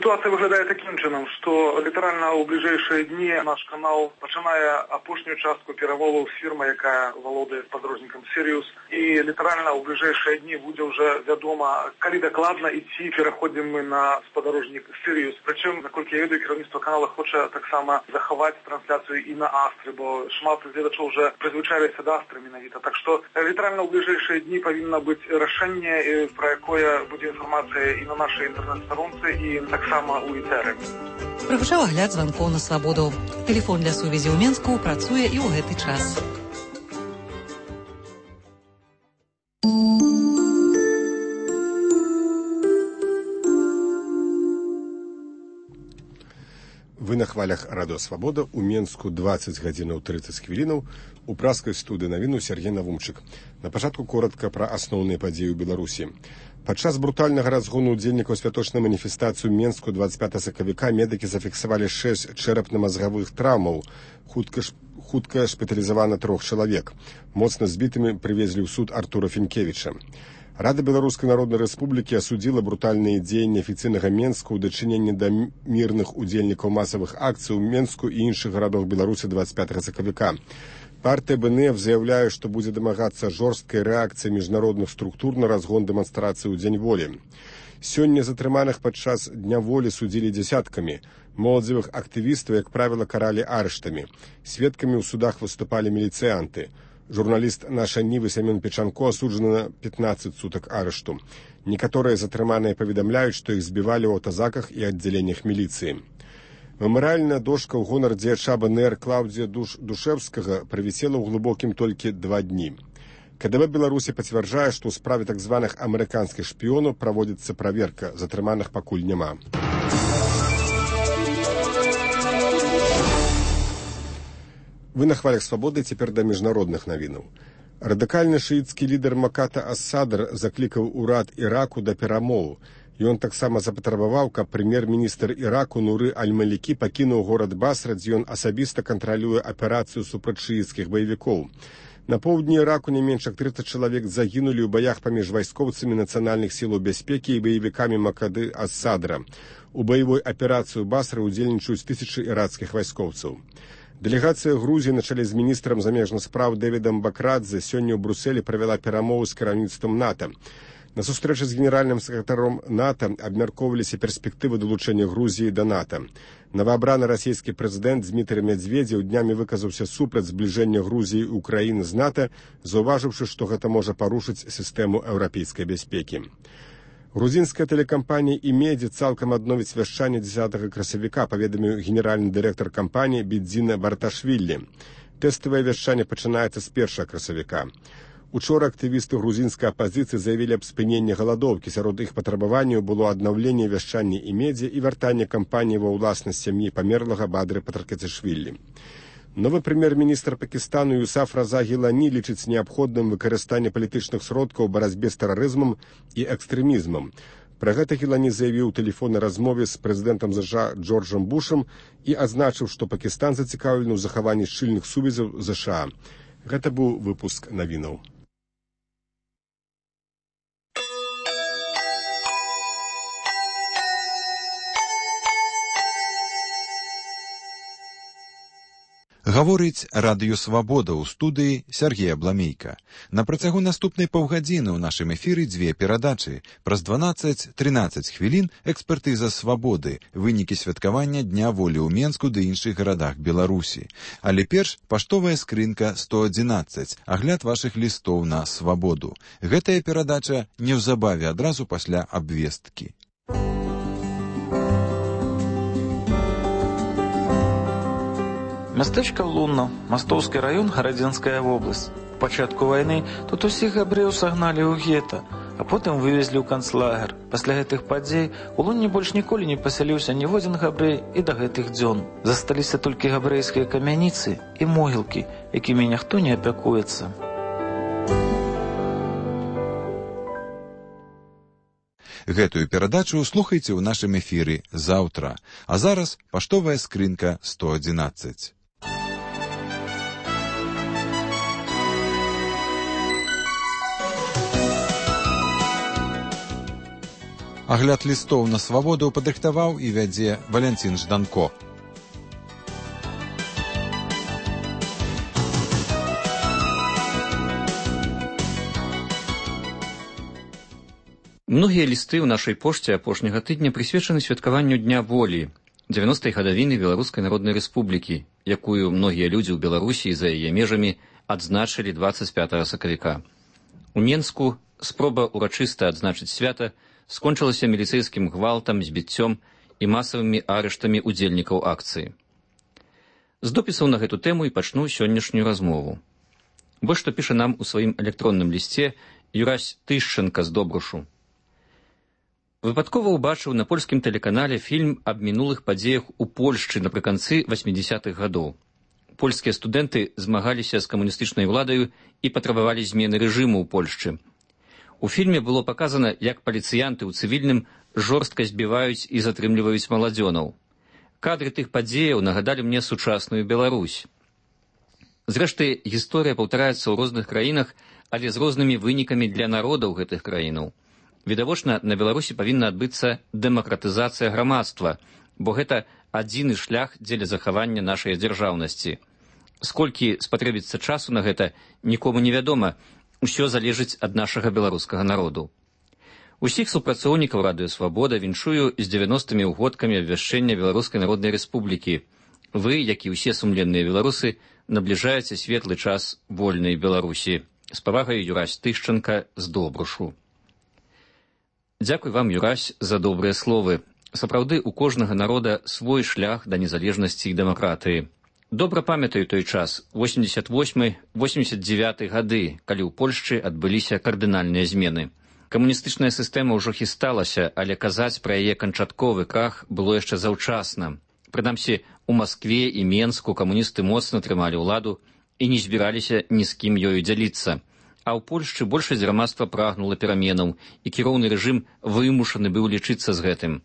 Ситуация выглядает таким чином, что литерально у ближайшие дни наш канал починає опошнюю частку перемоваў з фірмай, яка валодае спадарожнікам Sirius, і литерально у ближайшие дни буде вже вядома, калі дакладна ідці пераходзім мы на спадарожнік Sirius. Прычым, наколькі я ведаю, кіраўніцтва канала хоча таксама захаваць трансляцыю і на Астры, бо шмат гледачоў уже прызвычаіліся да Астры менавіта. Так што литерально у ближайшие дни павінна быць рашэнне, про якое будзе інфармацыя і на нашай інтэрнэт-старонцы, і таксама у Ітэры. Прагучаў агляд званкоў на свабоду. Тэлефон для сувязі ў Менску працуе і ў гэты час. Вы на хвалях радыё Свабода, у Менску дваццаць гадзінаў трыццаць хвілінаў, у праскай студыі навіну Сергей Навумчык. На пачатку коротка пра асноўныя падзеі ў Беларусі. Падчас брутальнага разгону удзельнікаў святочнай маніфестацыі ў Менску дваццаць пятага сакавіка медыкі зафіксавалі шэсць чэрапна-мазгавых траўмаў. Хутка, хутка шпіталізавана трох чалавек. Моцна збітымі прывезлі ў суд Артура Фінкевіча. Рада Беларускай Народнай Рэспублікі асудзіла брутальныя дзеянні афіцыйнага Менска ў дачыненні да мірных удзельнікаў масавых акцый у Менску і іншых гарадах Беларусі дваццаць пятага сакавіка. Партыя БНФ заяўляе, што будзе дамагацца жорсткай рэакцыі міжнародных структур на разгон дэманстрацыі ў Дзень волі. Сёння затрыманых падчас Дня волі судзілі дзясяткамі. Моладзевых актывістаў, як правіла, каралі арыштамі. Сведкамі ў судах выступалі міліцыянты. Журналіст «Наша Нівы» Семён Печанко асуджаны на пятнаццаць сутак арышту. Некаторыя затрыманыя паведамляюць, што іх збівалі ў аўтазаках і аддзяленнях міліцыі. Мемарыяльная дошка ў гонар дзеяча БНР Клаўдзія Душ... Душэвскага правісела ў глыбокім толькі два дні. КДБ Беларусі пацвярджае, што ў справе так званых амерыканскіх шпіёнаў праводзіцца праверка, затрыманых пакуль няма. Вы на хвалях свабоды, цяпер да міжнародных навінаў. Радыкальны шыіцкі лідар Маката ас-Садр заклікаў урад Іраку да перамоў. Ён таксама запатрабаваў, каб прэм'ер-міністр Іраку Нуры Аль-Малікі пакінуў горад Басра, дзе ён асабіста кантралюе аперацыю супраць шыіцкіх баевікоў. На поўдні Іраку не менш як трыццаць чалавек загінулі ў баях паміж вайскоўцамі нацыянальных сілаў бяспекі і баевікамі Макады ас-Садра. У баявой аперацыі ў Басры ўдзельнічаюць тысячы іракскіх вайскоўцаў. Дэлегацыя Грузіі на чале з міністрам замежных спраў Дэвідам Бакрадзе сёння ў Брусэлі правяла перамовы з кіраўніцтвам НАТО. На сустрэчы з генеральным сакратаром НАТО абмяркоўваліся перспектывы далучэння Грузіі да НАТО. Новаабраны расійскі прэзідэнт Дмітрый Медведзеў днямі выказаўся супраць збліжэння Грузіі і Украіны з НАТО, заўважыўшы, што гэта можа парушыць сістэму еўрапейскай бяспекі. Грузінская тэлекампанія «Імедзі» цалкам адновіць вяшчанне дзесятага красавіка, паведаміў генеральны дырэктар кампаніі Бедзіна Барташвілі. Тэставае вяшчанне пачынаецца з першага красавіка. Учора актывісты грузінскай апазіцыі заявілі аб спыненні галадоўкі. Сярод іх патрабаванняў было аднаўленне вяшчання «Імедзі» і вяртанне кампаніі ва ўласнасць сям'і памерлага Бадры Патракацішвілі. Новы прэм'ер-міністр Пакістану Юсаф Раза Гілані лічыць неабходным выкарыстанне палітычных сродкаў у барацьбе з тэрарызмам і экстрэмізмам. Пра гэта Гілані заявіў у тэлефоннай размове з прэзідэнтам ЗША Джорджам Бушам і азначыў, што Пакістан зацікаўлены ў захаванні шчыльных сувязяў з ЗША. Гэта быў выпуск навінаў. Гаворыць радыё Свабода ў студыі Сергея Бламейка. На працягу наступнай паўгадзіны ў нашым эфіры дзве перадачы. Праз дванаццаць-трынаццаць хвілін экспертыза Свабоды, вынікі святкавання Дня волі ў Менску ды іншых гарадах Беларусі. Але перш паштовая скрынка сто адзінаццаць, агляд вашых лістоў на Свабоду. Гэтая перадача неўзабаве адразу пасля абвесткі. Мястэчка Лунна, Мастоўскі раён, Гарадзенская вобласць. У пачатку вайны тут усіх габрэяў сагналі ў гета, а потым вывезлі ў канцлагер. Пасля гэтых падзей у Лунне больш ніколі не пасяліўся ніводзін габрэй і да гэтых дзён. Засталіся толькі габрэйскія камяніцы і могілкі, якімі ніхто не апякуецца. Гэтую перадачу слухайце ў нашым эфіры заўтра. А зараз паштовая скрынка сто адзінаццаць. Агляд лістоў на свабоду падрыхтаваў і вядзе Валянцін Жданко. Многія лісты ў нашай пошце апошняга тыдня прысвечаны святкаванню Дня волі, дзевяностай гадавіны Беларускай Народнай Рэспублікі, якую многія людзі ў Беларусі і за яе межамі адзначылі дваццаць пятага сакавіка. У Менску спроба урачыста адзначыць свята скончылася міліцэйскім гвалтам, збіццём і масавымі арыштамі удзельнікаў акцыі. З допісаў на гэту тэму і пачну сённяшнюю размову. Вось што піша нам у сваім электронным лісце Юрась Тышченка з Добрушу. Выпадкова ўбачыў на польскім тэлеканале фільм аб мінулых падзеях у Польшчы напрыканцы васьмідзесятых гадоў. Польскія студэнты змагаліся з камуністычнай уладаю і патрабавалі змены рэжыму ў Польшчы. У фільме было паказана, як паліцыянты ў цывільным жорстка збіваюць і затрымліваюць маладзёнаў. Кадры тых падзеяў нагадалі мне сучасную Беларусь. Зрэшты, гісторыя паўтараецца ў розных краінах, але з рознымі вынікамі для народаў гэтых краінаў. Відавочна, на Беларусі павінна адбыцца дэмакратызацыя грамадства, бо гэта адзіны шлях дзеля захавання нашай дзяржаўнасці. Сколькі спатрэбіцца часу на гэта, нікому невядома, усё залежыць ад нашага беларускага народу. Усіх супрацоўнікаў Радыё Свабода віншую з дзевяностымі ўгодкамі абвяшчэння Беларускай Народнай Рэспублікі. Вы, як і ўсе сумленныя беларусы, набліжаеце светлы час вольнай Беларусі. З павагай Юрась Тышченка з Добрушу. Дзякуй вам, Юрась, за добрыя словы. Сапраўды, у кожнага народа свой шлях да незалежнасці і дэмакратыі. Добра памятаю той час, восемьдесят восьмы — восемьдесят девятый гады, калі ў Польшчы адбыліся кардынальныя змены. Камуністычная сістэма ўжо хісталася, але казаць пра яе канчатковы крах было яшчэ заўчасна. Прынамсі, у Маскве і Менску камуністы моцна трымалі ўладу і не збіраліся ні з кім ёю дзяліцца. А ў Польшчы большасць грамадства прагнула пераменаў, і кіроўны рэжым вымушаны быў лічыцца з гэтым.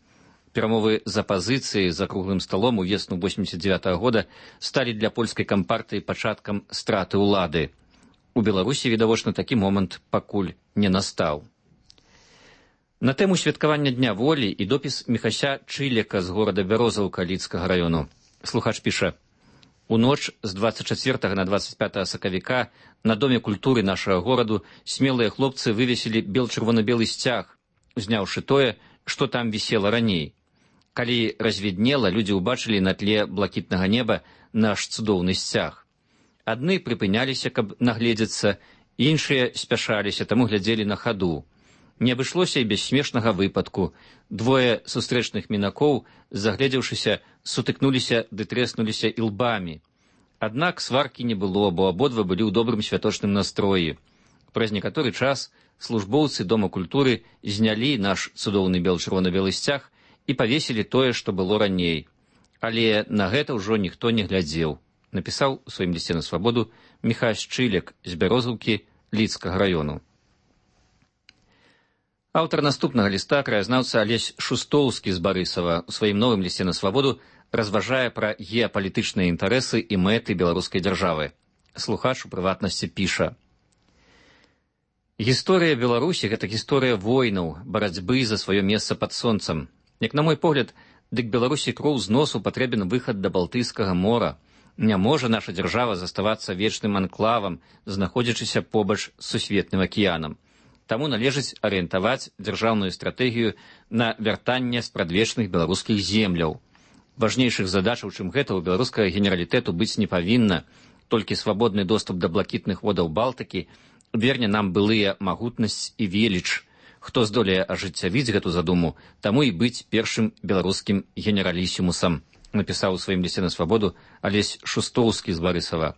Перамовы з апазіцыяй за круглым сталом у весну восемьдесят девятого года сталі для польскай кампартыі пачаткам страты ўлады. У Беларусі, відавочна, такі момант пакуль не настаў. На тэму святкавання Дня волі і допіс Міхася Чылека з горада Бярозаўка Лідскага раёну. Слухач піша: у ноч з двадцать чацвёртага на двадцать пятага сакавіка на Доме культуры нашага гораду смелыя хлопцы вывесілі бел-чырвона-белы сцяг, узняўшы тое, што там вісела раней. Калі развіднела, людзі ўбачылі на тле блакітнага неба наш цудоўны сцяг. Адны прыпыняліся, каб нагледзецца, іншыя спяшаліся, таму глядзелі на хаду. Не абышлося і без смешнага выпадку. Двое сустрэчных мінакоў, загледзеўшыся, сутыкнуліся ды трэснуліся ілбамі. Аднак сваркі не было, бо абодва былі ў добрым святочным настроі. Праз некаторы час службоўцы Дома культуры знялі наш цудоўны бел-чырвона-белы сцяг і павесілі тое, што было раней. Але на гэта ўжо ніхто не глядзеў, напісаў у сваім лісце на свабоду Міхась Чылек з Бярозаўкі Лідскага раёну. Аўтар наступнага ліста, краязнаўца Алесь Шустоўскі з Барысава, у сваім новым лісце на свабоду разважае пра геапалітычныя інтарэсы і мэты беларускай дзяржавы. Слухач у прыватнасці піша: гісторыя Беларусі — гэта гісторыя войнаў, барацьбы за сваё месца пад сонцам. Як на мой погляд, дык Беларусі кроў з носу патрэбен выхад да Балтыйскага мора. Не можа наша дзяржава заставацца вечным анклавам, знаходзячыся побач з сусветным акіянам. Таму належыць арыентаваць дзяржаўную стратэгію на вяртанне спрадвечных беларускіх земляў. Важнейшых задачаў, чым гэта, у беларускага генералітэту быць не павінна. Толькі свабодны доступ да блакітных водаў Балтыкі верне нам былыя магутнасць і веліч. Хто здолее ажыццявіць гэту задуму, таму і быць першым беларускім генералісімусам, напісаў у сваім лісце на свабоду Алесь Шустоўскі з Барысава.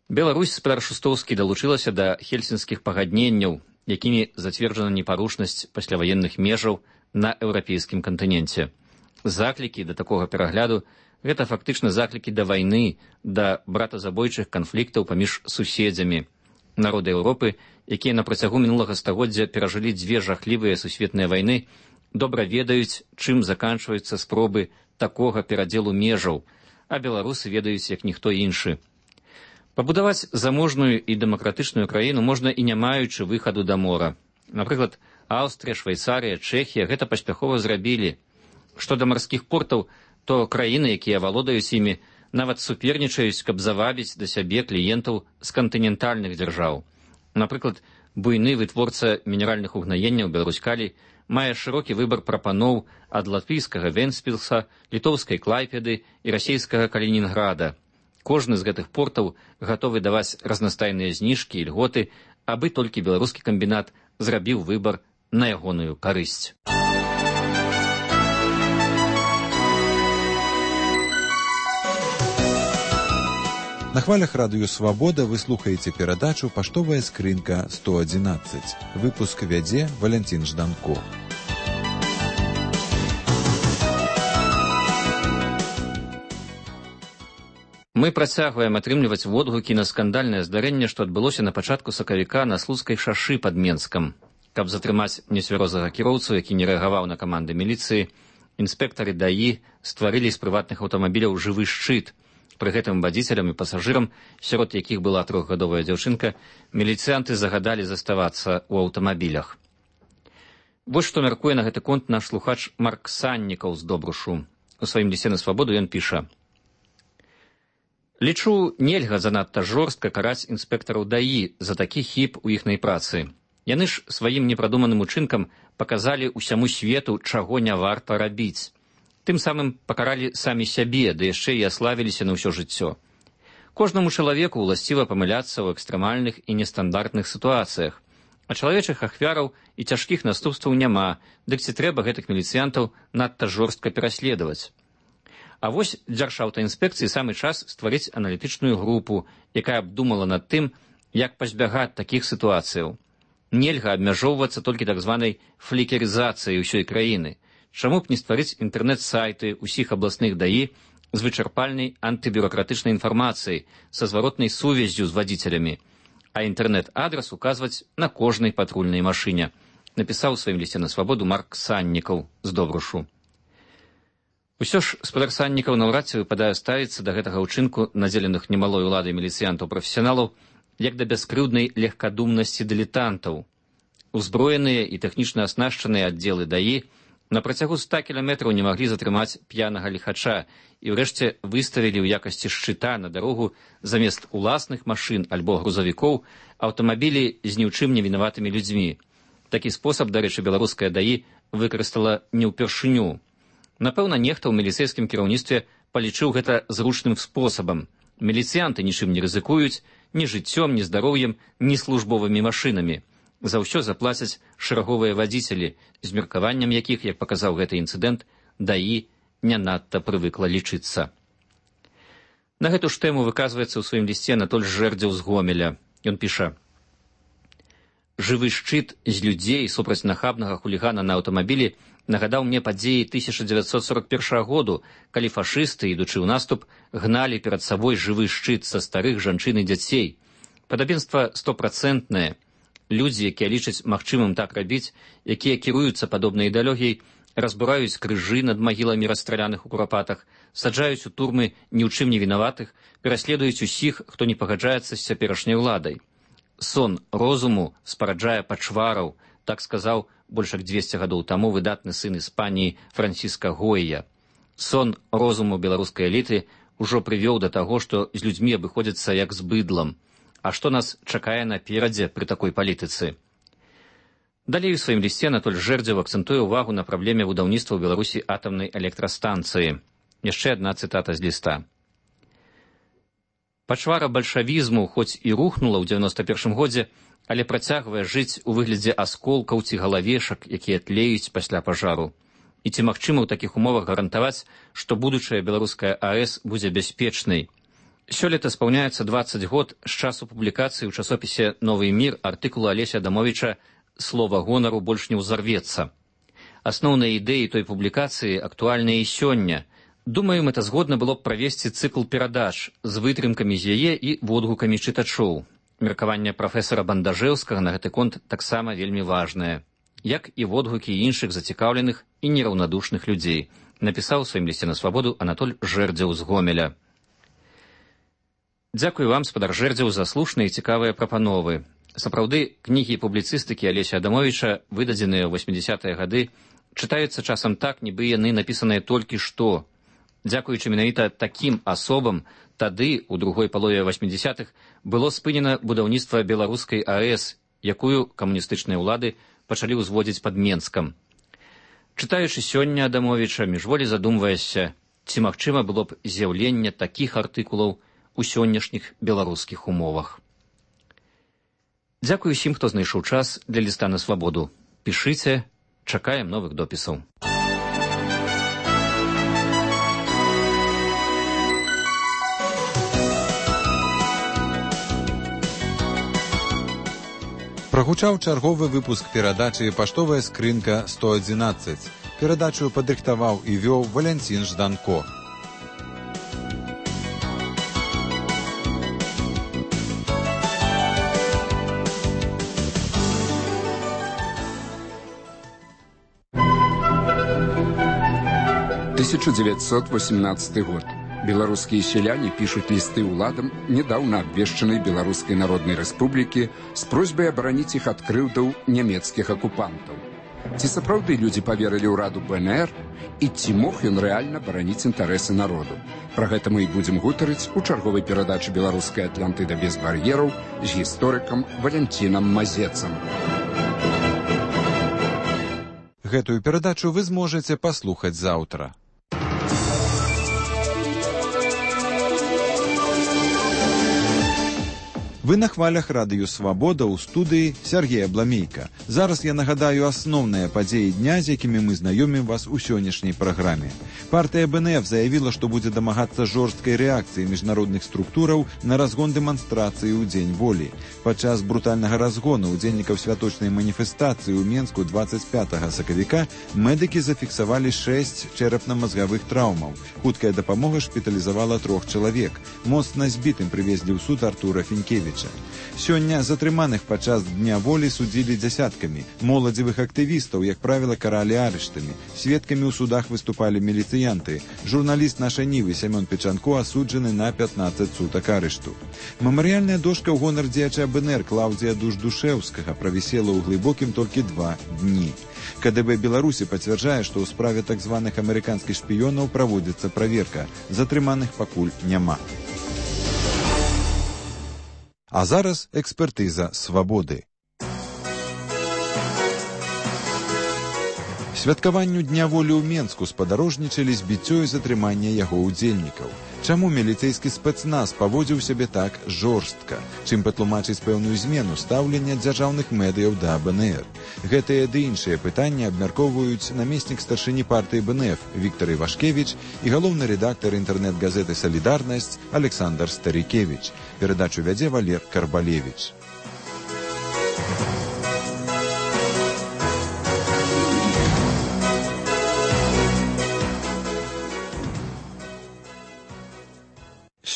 Беларусь, спадар Шустоўскі, далучылася да хельсінскіх пагадненняў, якімі зацверджана непарушнасць пасляваенных межаў на еўрапейскім кантыненце. Заклікі да такога перагляду — гэта фактычна заклікі да вайны, да братазабойчых канфліктаў паміж суседзямі. Народы Еўропы, якія на працягу мінулага стагоддзя перажылі дзве жахлівыя сусветныя вайны, добра ведаюць, чым заканчваюцца спробы такога перадзелу межаў, а беларусы ведаюць, як ніхто іншы. Пабудаваць заможную і дэмакратычную краіну можна і не маючы выхаду да мора. Напрыклад, Аўстрыя, Швейцарыя, Чэхія гэта паспяхова зрабілі. Што да марскіх портаў, то краіны, якія валодаюць імі, нават супернічаюць, каб завабіць да сябе кліентаў з кантынентальных дзяржаў. Напрыклад, буйны вытворца мінеральных угнаенняў Беларусь-Калій мае шырокі выбар прапаноў ад латвійскага Вентспілса, літоўскай Клайпеды і расійскага Калінінграда. Кожны з гэтых портаў гатовы даваць разнастайныя зніжкі і льготы, абы толькі беларускі камбінат зрабіў выбар на ягоную карысць. На хвалях радыё «Свабода» вы слухаеце перадачу «Паштовая скрынка сто адзінаццаць». Выпуск вядзе Валянцін Жданко. Мы працягваем атрымліваць водгукі на скандальнае здарэнне, што адбылося на пачатку сакавіка на Слуцкай шашы пад Менскам. Каб затрымаць нецвярозага кіроўцу, які не рэагаваў на каманды міліцыі, інспектары даі стварылі з прыватных аўтамабіляў жывы шчыт. Пры гэтым вадзіцелям і пасажырам, сярод якіх была трохгадовая дзяўчынка, міліцыянты загадалі заставацца ў аўтамабілях. Вось што мяркуе на гэты конт наш слухач Марк Саннікаў з Добрушу. У сваім лісце на Свабоду ён піша: «Лічу, нельга занадта жорстка караць інспектараў даі за такі хіб у іхнай працы. Яны ж сваім непрадуманым учынкам паказалі ўсяму свету, чаго не варта рабіць. Тым самым пакаралі самі сябе, ды яшчэ і аславіліся на ўсё жыццё. Кожнаму чалавеку ўласціва памыляцца ў экстрэмальных і нестандартных сітуацыях, а чалавечых ахвяраў і цяжкіх наступстваў няма, дык ці трэба гэтых міліцыянтаў надта жорстка пераследаваць. А вось Дзяржаўтаінспекцыі самы час стварыць аналітычную групу, якая абдумала над тым, як пазбягаць такіх сітуацыяў. Нельга абмяжоўвацца толькі так званай флікерызацыяй усёй краіны. Чаму б не стварыць інтэрнэт-сайты ўсіх абласных даі з вычарпальнай антыбюракратычнай інфармацыяй, са зваротнай сувяззю з вадзіцелямі, а інтэрнэт-адрас указваць на кожнай патрульнай машыне, напісаў у сваім лісце на Свабоду Марк Саннікаў з Добрушу. Усё ж спадар Саннікаў наўрад ці выпадае ставіцца да гэтага ўчынку надзеленых немалой уладай міліцыянтаў-прафесіяналаў як да бяскрыўднай легкадумнасці дылетантаў. Узброеныя і тэхнічна аснашчаныя аддзелы даі на працягу ста кіламетраў не маглі затрымаць п'янага ліхача і ўрэшце выставілі ў якасці шчыта на дарогу замест уласных машын альбо грузавікоў аўтамабілі з ні ў чым не вінаватымі людзьмі. Такі спосаб, дарэчы, беларуская даі выкарыстала не ўпершыню. Напэўна, нехта ў міліцэйскім кіраўніцтве палічыў гэта зручным спосабам. Міліцыянты нічым не рызыкуюць, ні жыццём, ні здароўем, ні службовымі машынамі. За ўсё заплацяць шэраговыя вадзіцелі, з меркаваннем якіх, як паказаў гэты інцыдэнт, даі не надта прывыкла лічыцца. На гэту ж тэму выказваецца ў сваім лісце Анатоль Жэрдзеў з Гомеля. Ён піша: «Жывы шчыт з людзей супраць нахабнага хулігана на аўтамабілі нагадаў мне падзеі тысяча дзевяцьсот сорок першага году, калі фашысты, ідучы ў наступ, гналі перад сабой жывы шчыт са старых жанчын і дзяцей. Падабенства стопрацэнтнае. Людзі, якія лічаць магчымым так рабіць, якія кіруюцца падобнай ідэалогіяй, разбураюць крыжы над магіламі расстраляных у курапатах, саджаюць у турмы ні ў чым не вінаватых, пераследуюць усіх, хто не пагаджаецца з цяперашняй уладай. Сон розуму спараджае пачвараў, так сказаў больш як дзвесце гадоў таму выдатны сын Іспаніі Франціска Гойя. Сон розуму беларускай эліты ўжо прывёў да таго, што з людзьмі абыходзяцца як з быдлам. А што нас чакае наперадзе пры такой палітыцы? Далей у сваім лісце Анатоль Жэрдзеў акцэнтуе ўвагу на праблеме будаўніцтва ў Беларусі атамнай электрастанцыі. Яшчэ адна цытата з ліста. Пачвара бальшавізму хоць і рухнула ў дзевяноста першым годзе, але працягвае жыць у выглядзе асколкаў ці галавешак, якія тлеюць пасля пажару. І ці магчыма ў такіх умовах гарантаваць, што будучая беларуская АЭС будзе бяспечнай? Сёлета спаўняецца дваццаць год з часу публікацыі ў часопісе «Новы мір» артыкула Алеся Адамовіча «Слова гонару больш не ўзарвецца». Асноўныя ідэі той публікацыі актуальныя і сёння. Думаю, мэтазгодна было б правесці цыкл перадач з вытрымкамі з яе і водгукамі чытачоў. Меркаванне прафесара Бандажэўскага на гэты конт таксама вельмі важнае, як і водгукі іншых зацікаўленых і нераўнадушных людзей, напісаў у сваім лісце на Свабоду Анатоль Жэрдзеў з Гомеля. Дзякую вам, спадар Жэрдзеў, за слушныя і цікавыя прапановы. Сапраўды, кнігі публіцыстыкі Алеся Адамовіча, выдадзеныя ў восьмідзясятыя гады, чытаюцца часам так, нібы яны напісаныя толькі што. Дзякуючы менавіта такім асобам, тады, у другой палове восьмідзясятых, было спынена будаўніцтва беларускай АЭС, якую камуністычныя ўлады пачалі ўзводзіць пад Менскам. Чытаючы сёння Адамовіча, міжволі задумваешся, ці магчыма было б з'яўленне такіх артыкулаў у сённяшніх беларускіх умовах. Дзякую усім, хто знайшоў час для ліста на свабоду. Пішыце, чакаем новых допісаў. Прагучаў чарговы выпуск перадачы «Паштовая скрынка сто адзінаццаць». Перадачу падрыхтаваў і вёў Валянцін Жданко. тысяча девятьсот восемнадцатый год. Белорусские селяне пишут листы уладам недавно обвешченной Белорусской Народной Республики с просьбой оборонить их от крыўдаў немецких оккупантов. Ці сапраўды люди поверили ўраду БНР, и ці мог ён реально бараніць интересы народу. Про гэта мы и будем гутарыць у чарговой перадачы «Белорусская Атлантыда без барьеров» с гісторыкам Валянцінам Мазецам. Гэтую перадачу вы зможаце паслухаць заўтра. Вы на хвалях радыё «Свабода» ў студыі Сергея Бламейка. Зараз я нагадаю асноўныя падзеі дня, з якімі мы знаёмім вас у сённяшняй праграме. Партыя БНФ заявіла, што будзе дамагацца жорсткай рэакцыі міжнародных структураў на разгон дэманстрацыі ў Дзень волі. Падчас брутальнага разгону удзельнікаў святочнай маніфестацыі ў Менску дваццаць пятага сакавіка медыкі зафіксавалі шэсць чэрапна-мазгавых траўмаў. Хуткая дапамога шпіталізавала трох чалавек. Моцна збітым прывезлі ў суд Артура Фінкевіча. Сёння затрыманых падчас Дня волі судзілі дзясяткамі. Моладзевых актывістаў, як правіла, каралі арыштамі. Сведкамі ў судах выступалі міліцыянты. Журналіст нашай Нівы Сямён Печанко асуджаны на пятнаццаць сутак арышту. Мемарыяльная дошка ў гонар дзеяча БНР Клаўдзія Дуждушэўскага правісела ў глыбокім толькі два дні. КДБ Беларусі пацвярджае, што ў справе так званых амерыканскіх шпіёнаў праводзіцца праверка. Затрыманых пакуль няма. А зараз экспертыза «Свабоды». Святкаванню Дня волі ў Менску спадарожнічалі збіццё і затрыманне яго ўдзельнікаў. Чаму міліцэйскі спецназ паводзіў сябе так жорстка? Чым патлумачыць пэўную змену стаўлення дзяржаўных медыяў да БНР? Гэтыя ды іншыя пытанні абмяркоўваюць намеснік старшыні партыі БНФ Віктор Івашкевіч і галоўны рэдактар інтэрнэт-газеты «Салідарнасць» Александр Старікевіч. Перадачу вядзе Валер Карбалевіч.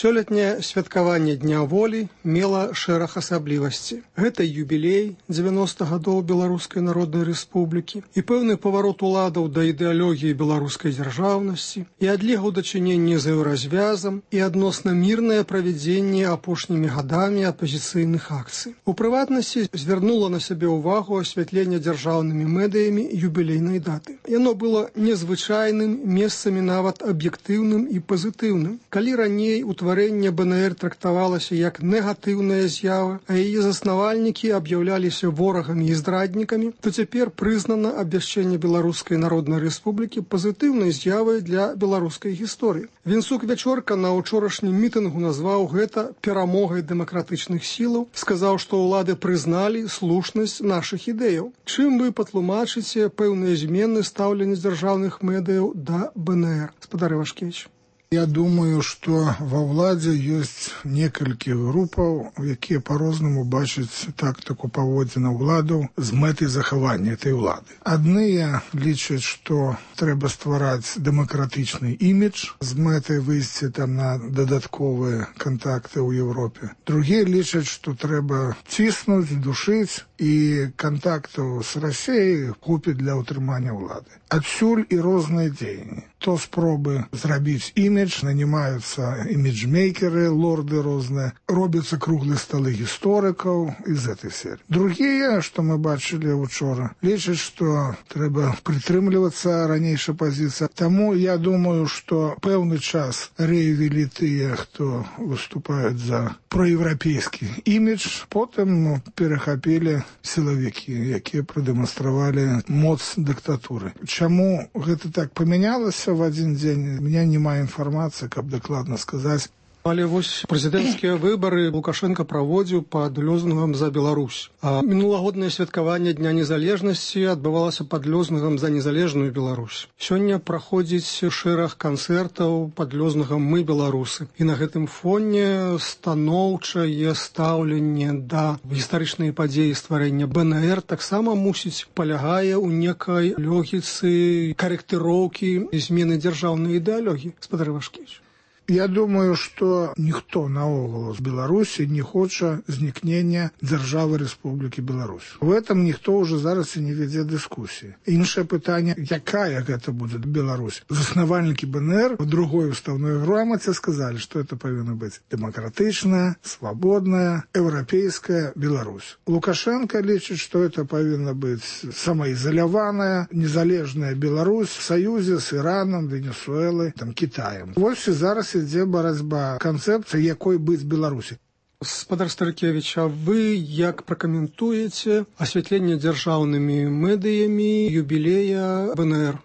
Сёлетняе святкаванне Дня волі мела шэраг асаблівасці. Гэта юбілей дзевяноста гадоў Беларускай Народнай Рэспублікі і пэўны паварот уладаў да ідэалогіі беларускай дзяржаўнасці і адлега ў дачыненні з еўразвязам і адносна мірнае правядзенне апошнімі гадамі апазіцыйных акцый. У прыватнасці звярнула на сябе ўвагу асвятленне дзяржаўнымі медыямі юбілейнай даты. Яно было незвычайным, месцамі нават аб'ектыўным і пазітыўным. Калі раней у Утварэнне БНР трактавалася як негатыўная з'ява, а яе заснавальнікі аб'яўляліся ворагамі і здраднікамі, то цяпер прызнана абвяшчэнне Беларускай Народнай Рэспублікі пазітыўнай з'явай для беларускай гісторыі. Вінсук Вячорка на учорашнім мітынгу назваў гэта перамогай дэмакратычных сілаў, сказаў, што ўлады прызналі слушнасць нашых ідэяў. Чым вы патлумачыце пэўныя змены стаўлення дзяржаўных медыяў да БНР? Спадар Івашкевіч. Я думаю, что во ўладзе ёсць некалькі групаў, якія по-рознаму бачаць тактыку паводзіна ўладаў з мэтай захавання этой улады. Адныя лічаць, што трэба ствараць дэмакратычны імідж з мэтай выйсці там на дадатковыя кантакты ў Еўропе. Другія лічаць, што трэба ціснуць, душыць і кантактаў з Расіяй купіць для ўтрымання ўлады. Адсюль і розныя дзеянні. То спробы зрабіць імідж имидж, нанимаются имиджмейкеры, лорды разные, робятся круглые столы историков из этой серии. Другие, что мы бачили вчера, лечат, что треба притримливаться ранейшей позиции. Тому я думаю, что певный час реявили те, кто выступает за проевропейский имидж, потом перехопили силовики, які продемонстрировали моц диктатуры. Чему это так поменялось в один день, у меня немає информации, как докладно сказать. Але вось прэзідэнцкія выбары Лукашенко праводзіў пад лозунгам за Беларусь. А мінулагоднае святкаванне Дня незалежнасці адбывалася пад лозунгам за незалежную Беларусь. Сёння праходзіць шэраг канцэртаў пад лозунгам «Мы беларусы». І на гэтым фоне станоўчае стаўленне да гістарычнай падзеі стварэння бэ эн эр таксама мусіць палягае ў некай логіцы карэктыроўкі і змены дзяржаўнай ідэалогіі. Спадар Івашкевіч. Я думаю, что никто наогул з Беларусі не хоча знікнення держави Республіки Беларусь. В этом ніхто уже зараз і не веде дискусії. Інше питання, якая гэта буде Беларусь. Заснавальники бэ эн эр в другой уставной грамоте сказали, что это повинна быть демократичная, свободная, европейская Беларусь. Лукашенко лечит, что это повинна быть самоизолированная, незалежная Беларусь в союзе с Ираном, Венесуэлой, там, Китаем. Вот все зараз ідзе барацьба канцэпцыі, якой быць Беларусі. Спадар Старыкевіч, а вы як пракаментуеце асвятленне дзяржаўнымі медыямі юбілея бэ эн эр?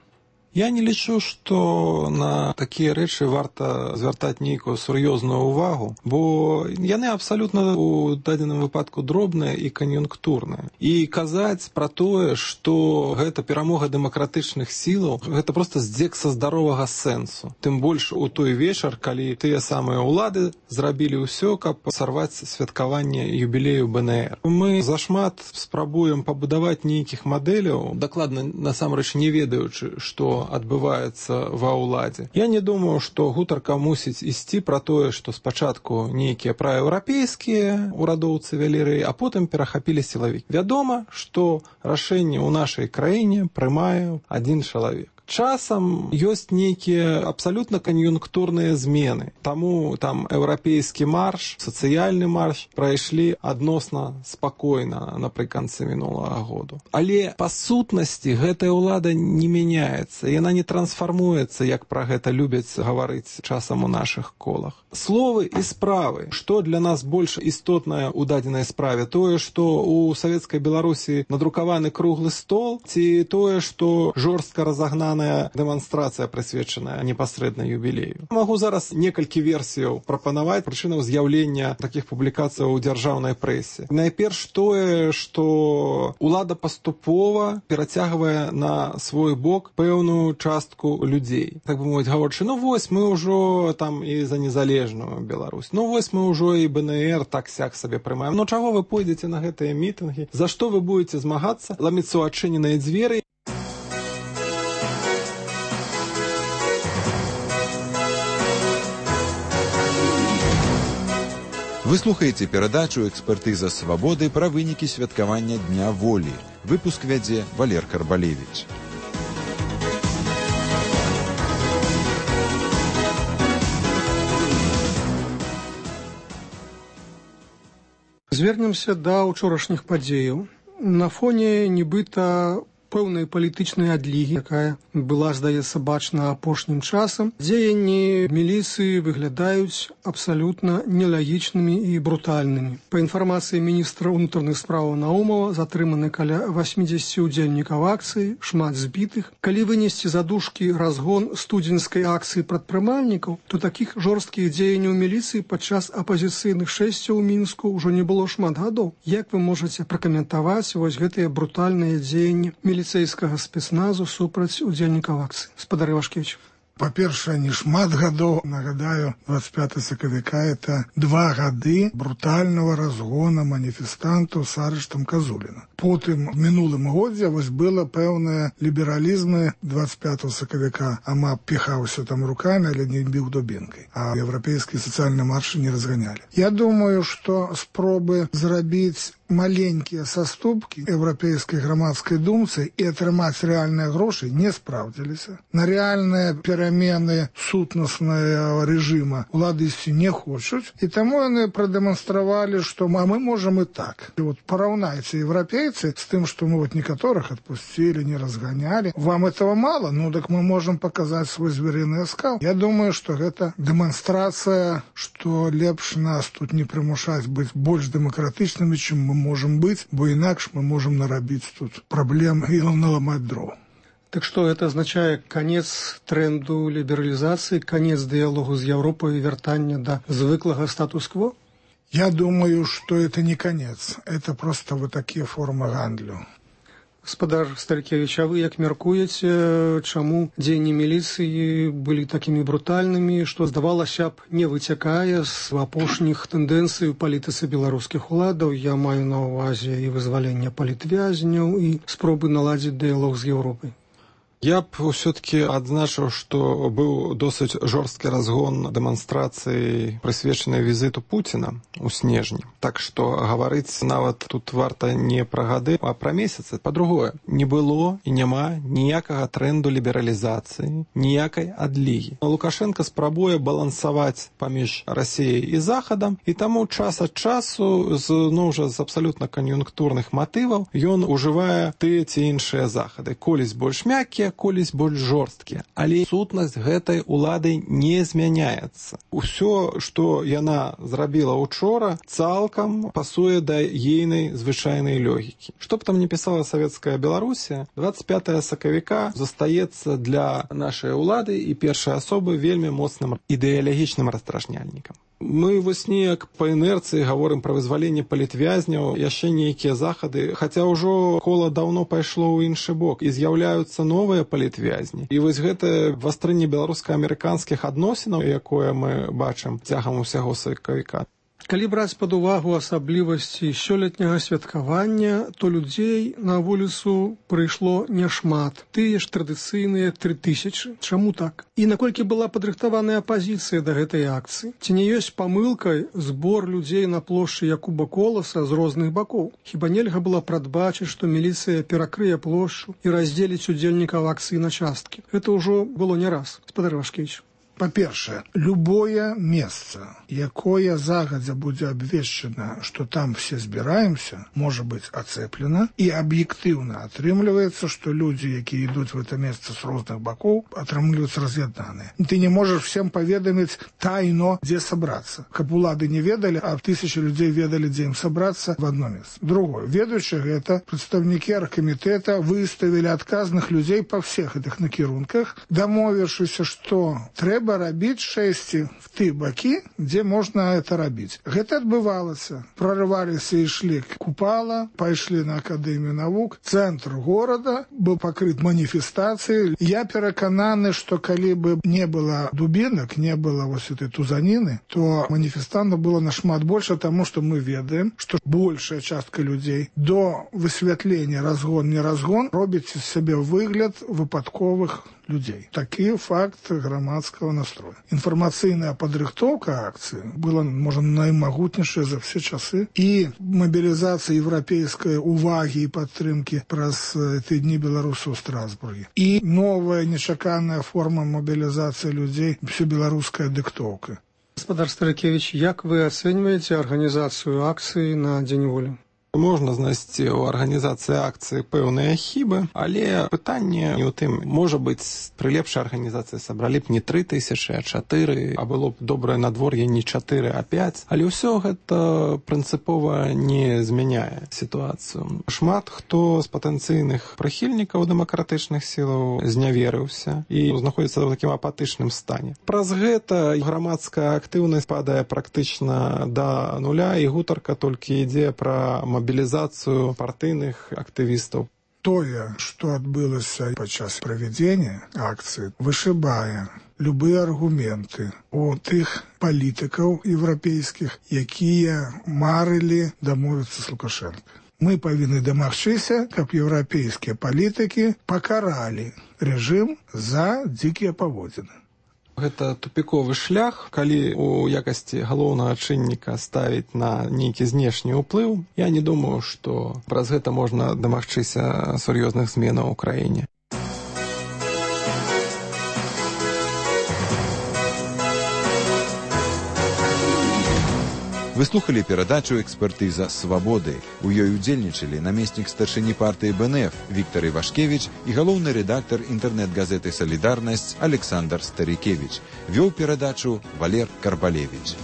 Я не лічу, што на такія рэчы варта звяртаць нейкую сур'ёзную ўвагу, бо яны абсалютна ў дадзеным выпадку дробныя і кан'юнктурныя. І казаць пра тое, што гэта перамога дэмакратычных сілаў, гэта проста здзек са здаровага сэнсу. Тым больш у той вечар, калі тыя самыя ўлады зрабілі ўсё, каб сарваць святкаванне юбілею бэ эн эр. Мы зашмат спрабуем пабудаваць нейкіх мадэляў, дакладна насамрэч не ведаючы, што адбываецца ва ўладзе. Я не думаю, што гутарка мусіць ісці пра тое, што спачатку нейкія праеўрапейскія урадоўцы вялі рэй, а потым перахапілі сілавікі. Вядома, што рашэнне ў нашай краіне прымае адзін чалавек. Часам ёсць нейкія абсалютна кан'юнктурныя змены. Таму там еўрапейскі марш, сацыяльны марш прайшлі адносна спакойна напрыканцы мінулага году. Але па сутнасці гэтая ўлада не мяняецца, яна не трансфармуецца, як пра гэта любяць гаварыць часам у нашых колах. Словы і справы. Што для нас больш істотнае ў дадзенай справе? Тое, што ў савецкай Беларусі надрукаваны круглы стол, ці тое, што жорстка разагнана дэманстрацыя, прысвечаная непасрэдна юбілею. Магу зараз некалькі версіяў прапанаваць прычынаў з'яўлення такіх публікацый у дзяржаўнай прэсе. Найперш тое, што ўлада паступова перацягвае на свой бок пэўную частку людзей. Так бы мовіць, гаворчы, ну вось мы ўжо там і за незалежную Беларусь. Ну вось мы ўжо і бэ эн эр так-сяк сабе прымаем. Ну чаго вы пойдзеце на гэтыя мітынгі? За што вы будете змагацца? Ламіцца ў адчыненыя дзверы. Вы слухаеце перадачу «Экспертыза свабоды» пра вынікі святкавання Дня волі. Выпуск вядзе Валер Карбалевіч. Звернемся да ўчорашніх падзеяў. На фоне нібыта пэўнай палітычнай адлігі, якая была, здаецца, бачна апошнім часам, дзеянні міліцыі выглядаюць абсалютна нелагічнымі і брутальнымі. Па інфармацыі міністра ўнутраных спраў Наумова затрыманы каля восьмідзесяці ўдзельнікаў акцыі, шмат збітых. Калі вынесці за дужкі разгон студзеньскай акцыі прадпрымальнікаў, то такіх жорсткіх дзеянняў міліцыі падчас апазіцыйных шэсцяў у Мінску ўжо не было шмат гадоў. Як вы можаце пракаментаваць вось гэтыя брутальныя дзеянні міліцэйскага спецназу супраць удзельнікаў акцыі? Спадар Івашкевіч. Па-першае, не шмат гадоў, нагадаю, двадцать пятого сакавіка это два гады брутального разгона маніфестантаў с арыштам Казуліна. Потым в мінулым годзе вось было пэўнае лібералізмы двадцать пятого сакавіка, ама піхаўся там руками, але не біў дубінкай, а еўрапейскія сацыяльныя маршы не разганялі. Я думаю, што спробы зрабіць маленькія саступкі еўрапейскай грамадскай думцы і атрымаць рэальныя грошы не спраўдзіліся. На рэальныя перамены сутнаснага рэжыма улады ісці не хочуць, і таму яны прадэманстравалі, што мы, мы можам і так. І вот параўнайце еўрапейцы з тым, што мы вот некаторых адпусцілі, не разганялі. Вам этого мало? Ну, так мы можам паказаць свой зверыны аскал. Я думаю, што гэта дэманстрацыя, што лепш нас тут не прымушаць быць больш дэмакратычнымі, чым мы можам быць, бо інакш мы можам нарабіць тут праблем і наламаць дров. Так что это означает конец тренду либерализации, конец диалогу с Европой и вертание до звыклого статус-кво? Я думаю, что это не конец. Это просто вот такие формы гандлю. Гаспадар Старыкевич, а вы як мяркуеце, чаму дзеянні міліцыі былі такімі брутальнымі, што, здавалася б, не выцякае з апошніх тэндэнцый у палітыцы беларускіх уладаў? Я маю на ўвазе і вызваленне палітвязняў, і спробы наладзіць дыялог з Еўропай. Я б все-таки адзначыў, што быў досыць жорсткі разгон дэманстрацыі, прысвечанай візіту Пуціна ў снежні. Так што гаварыць нават тут варта не пра гады, а пра месяцы. Па-другое, не было і няма ніякага трэнду лібералізацыі, ніякай адлігі. Лукашенко спрабуе балансаваць паміж Расіяй і Захадам, і таму час ад часу, ну, ўжо з абсалютна кан'юнктурных матываў, ён ужывае тыя ці іншыя захады. Колісь больш мяккія, колісь больш жорсткія. Але сутнасць гэтай улады не змяняецца. Усё, што яна зрабіла учора, цалкам пасуе да ейнай звычайнай логікі. Што б там не пісала савецкая Беларусія, двадцать пятого сакавіка застаецца для нашай улады і першай асобы вельмі моцным ідэалагічным расстражняльнікам. Мы вось неяк па інерцыі гаворым пра вызваленне палітвязняў, яшчэ нейкія захады, хаця ўжо кола даўно пайшло ў іншы бок, і з'яўляюцца новыя палітвязні. І вось гэта вастрынне беларуска-амерыканскіх адносінаў, якое мы бачым цягам усяго сакавіка. Калі браць пад увагу асаблівасці сёлетняга святкавання, то людзей на вуліцу прыйшло няшмат. Тыя ж традыцыйныя тры тысячы. Чаму так? І наколькі была падрыхтаваная апазіцыя да гэтай акцыі? Ці не ёсць памылкай збор людзей на плошчы Якуба Коласа з розных бакоў? Хіба нельга было прадбачыць, што міліцыя перакрые плошчу і раздзеліць удзельнікаў акцыі на часткі? Гэта ўжо было не раз, гаспадар Вашкевіч. Па-першае, любое месца, якое загадзя будзе абвешчана, што там все збіраемся, можа быць ацэплена, і аб'ектыўна атрымліваецца, што людзі, якія ідуць в это месца з розных бакоў, атрымліваюць раз'яднаныя. Ты не можаш всем паведаміць тайно, дзе сабрацца. Каб улады не ведалі, а тысячи людзей ведалі, дзе ім сабрацца в одно месца. Другое, ведаючы гэта, прадстаўнікі аргкамітэта выставілі адказных людзей па всех гэтых накірунках, дамовіўшыся, што трэба рабіць шэсці в ты бакі, дзе можна это рабіць. Гэта адбывалася. Прорываліся і ішлі Купала, пайшлі на Акадэмію навук, цэнтр горада быў пакрыт маніфестацыяй. Я перакананы, што калі бы не было дубінак, не было вось этой тузаніны, то маніфестантаў было нашмат больше, таму што мы ведаем, што большая частка людзей до высвятлення разгон-не разгон робіць з сябе выгляд выпадковых людей. Такі факт грамадскага настроя. Інфармацыйная падрыхтоўка акцыі была, можа, наймагутнейшая за все часы, і мабілізацыя еўрапейскай увагі і падтрымкі праз ты дні беларусаў у Страсбурге. І новая нечаканая форма мабілізацыі людзей, всебеларуская дыктоўка. Гаспадар Старыкевич, як вы ацэньваеце арганізацыю акцыі на Дзень волі? Можна знайсці ў арганізацыі акцыі пэўныя хібы, але пытанне не ў тым. Можа быць, пры лепшай арганізацыі сабралі б не тры тысячы, а чатыры, а было б добрае надвор'е не чатыры, а пяць. Але ўсё гэта прынцыпова не змяняе сітуацыю. Шмат хто з патэнцыйных прыхільнікаў дэмакратычных сілаў зняверыўся і знаходзіцца ў такім апатычным стане. Праз гэта грамадская актыўнасць падае практычна да нуля, і гутарка толькі ідзе пра мобілізацыю партыйных актывістаў. Тое, што адбылася падчас правядзення акцыі, вышыбае любыя аргументы у тых палітыкаў еўрапейскіх, якія марылі дамовіцца з Лукашенко. Мы павінны дамагчыся, каб еўрапейскія палітыкі пакаралі рэжым за дзікія паводзіны. Гэта тупіковы шлях, калі у якасці галоўнага чынніка ставіць на нейкі знешні ўплыў. Я не думаю, што праз гэта можна дамагчыся сур'ёзных зменаў у краіне. Вы слухали перадачу «Экспертыза свабоды». У ёй удзельнічалі намеснік старшыні партыі БНФ Віктор Івашкевіч і галоўны рэдактар інтэрнэт-газеты «Салідарнасць» Александр Старікевіч. Вёў перадачу Валер Карбалевіч.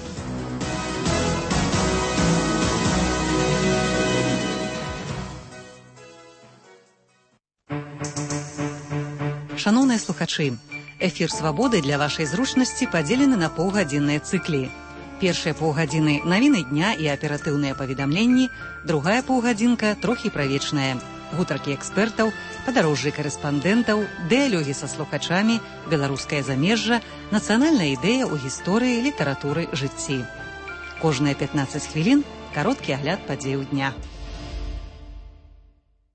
Шаноўныя слухачы, эфір «Свабоды» для вашай зручнасці падзелены на паўгадзінныя цыклі. Першыя паўгадзіны навіны дня і аператыўныя паведамленні, другая паўгадзінка трохі правечная. Гутаркі экспертаў, падарожжы карэспандэнтаў, дыялогі са слухачамі, беларускае замежжа, нацыянальная ідэя ў гісторыі, літаратуры, жыцці. Кожныя пятнаццаць хвілін кароткі агляд падзеяў дня.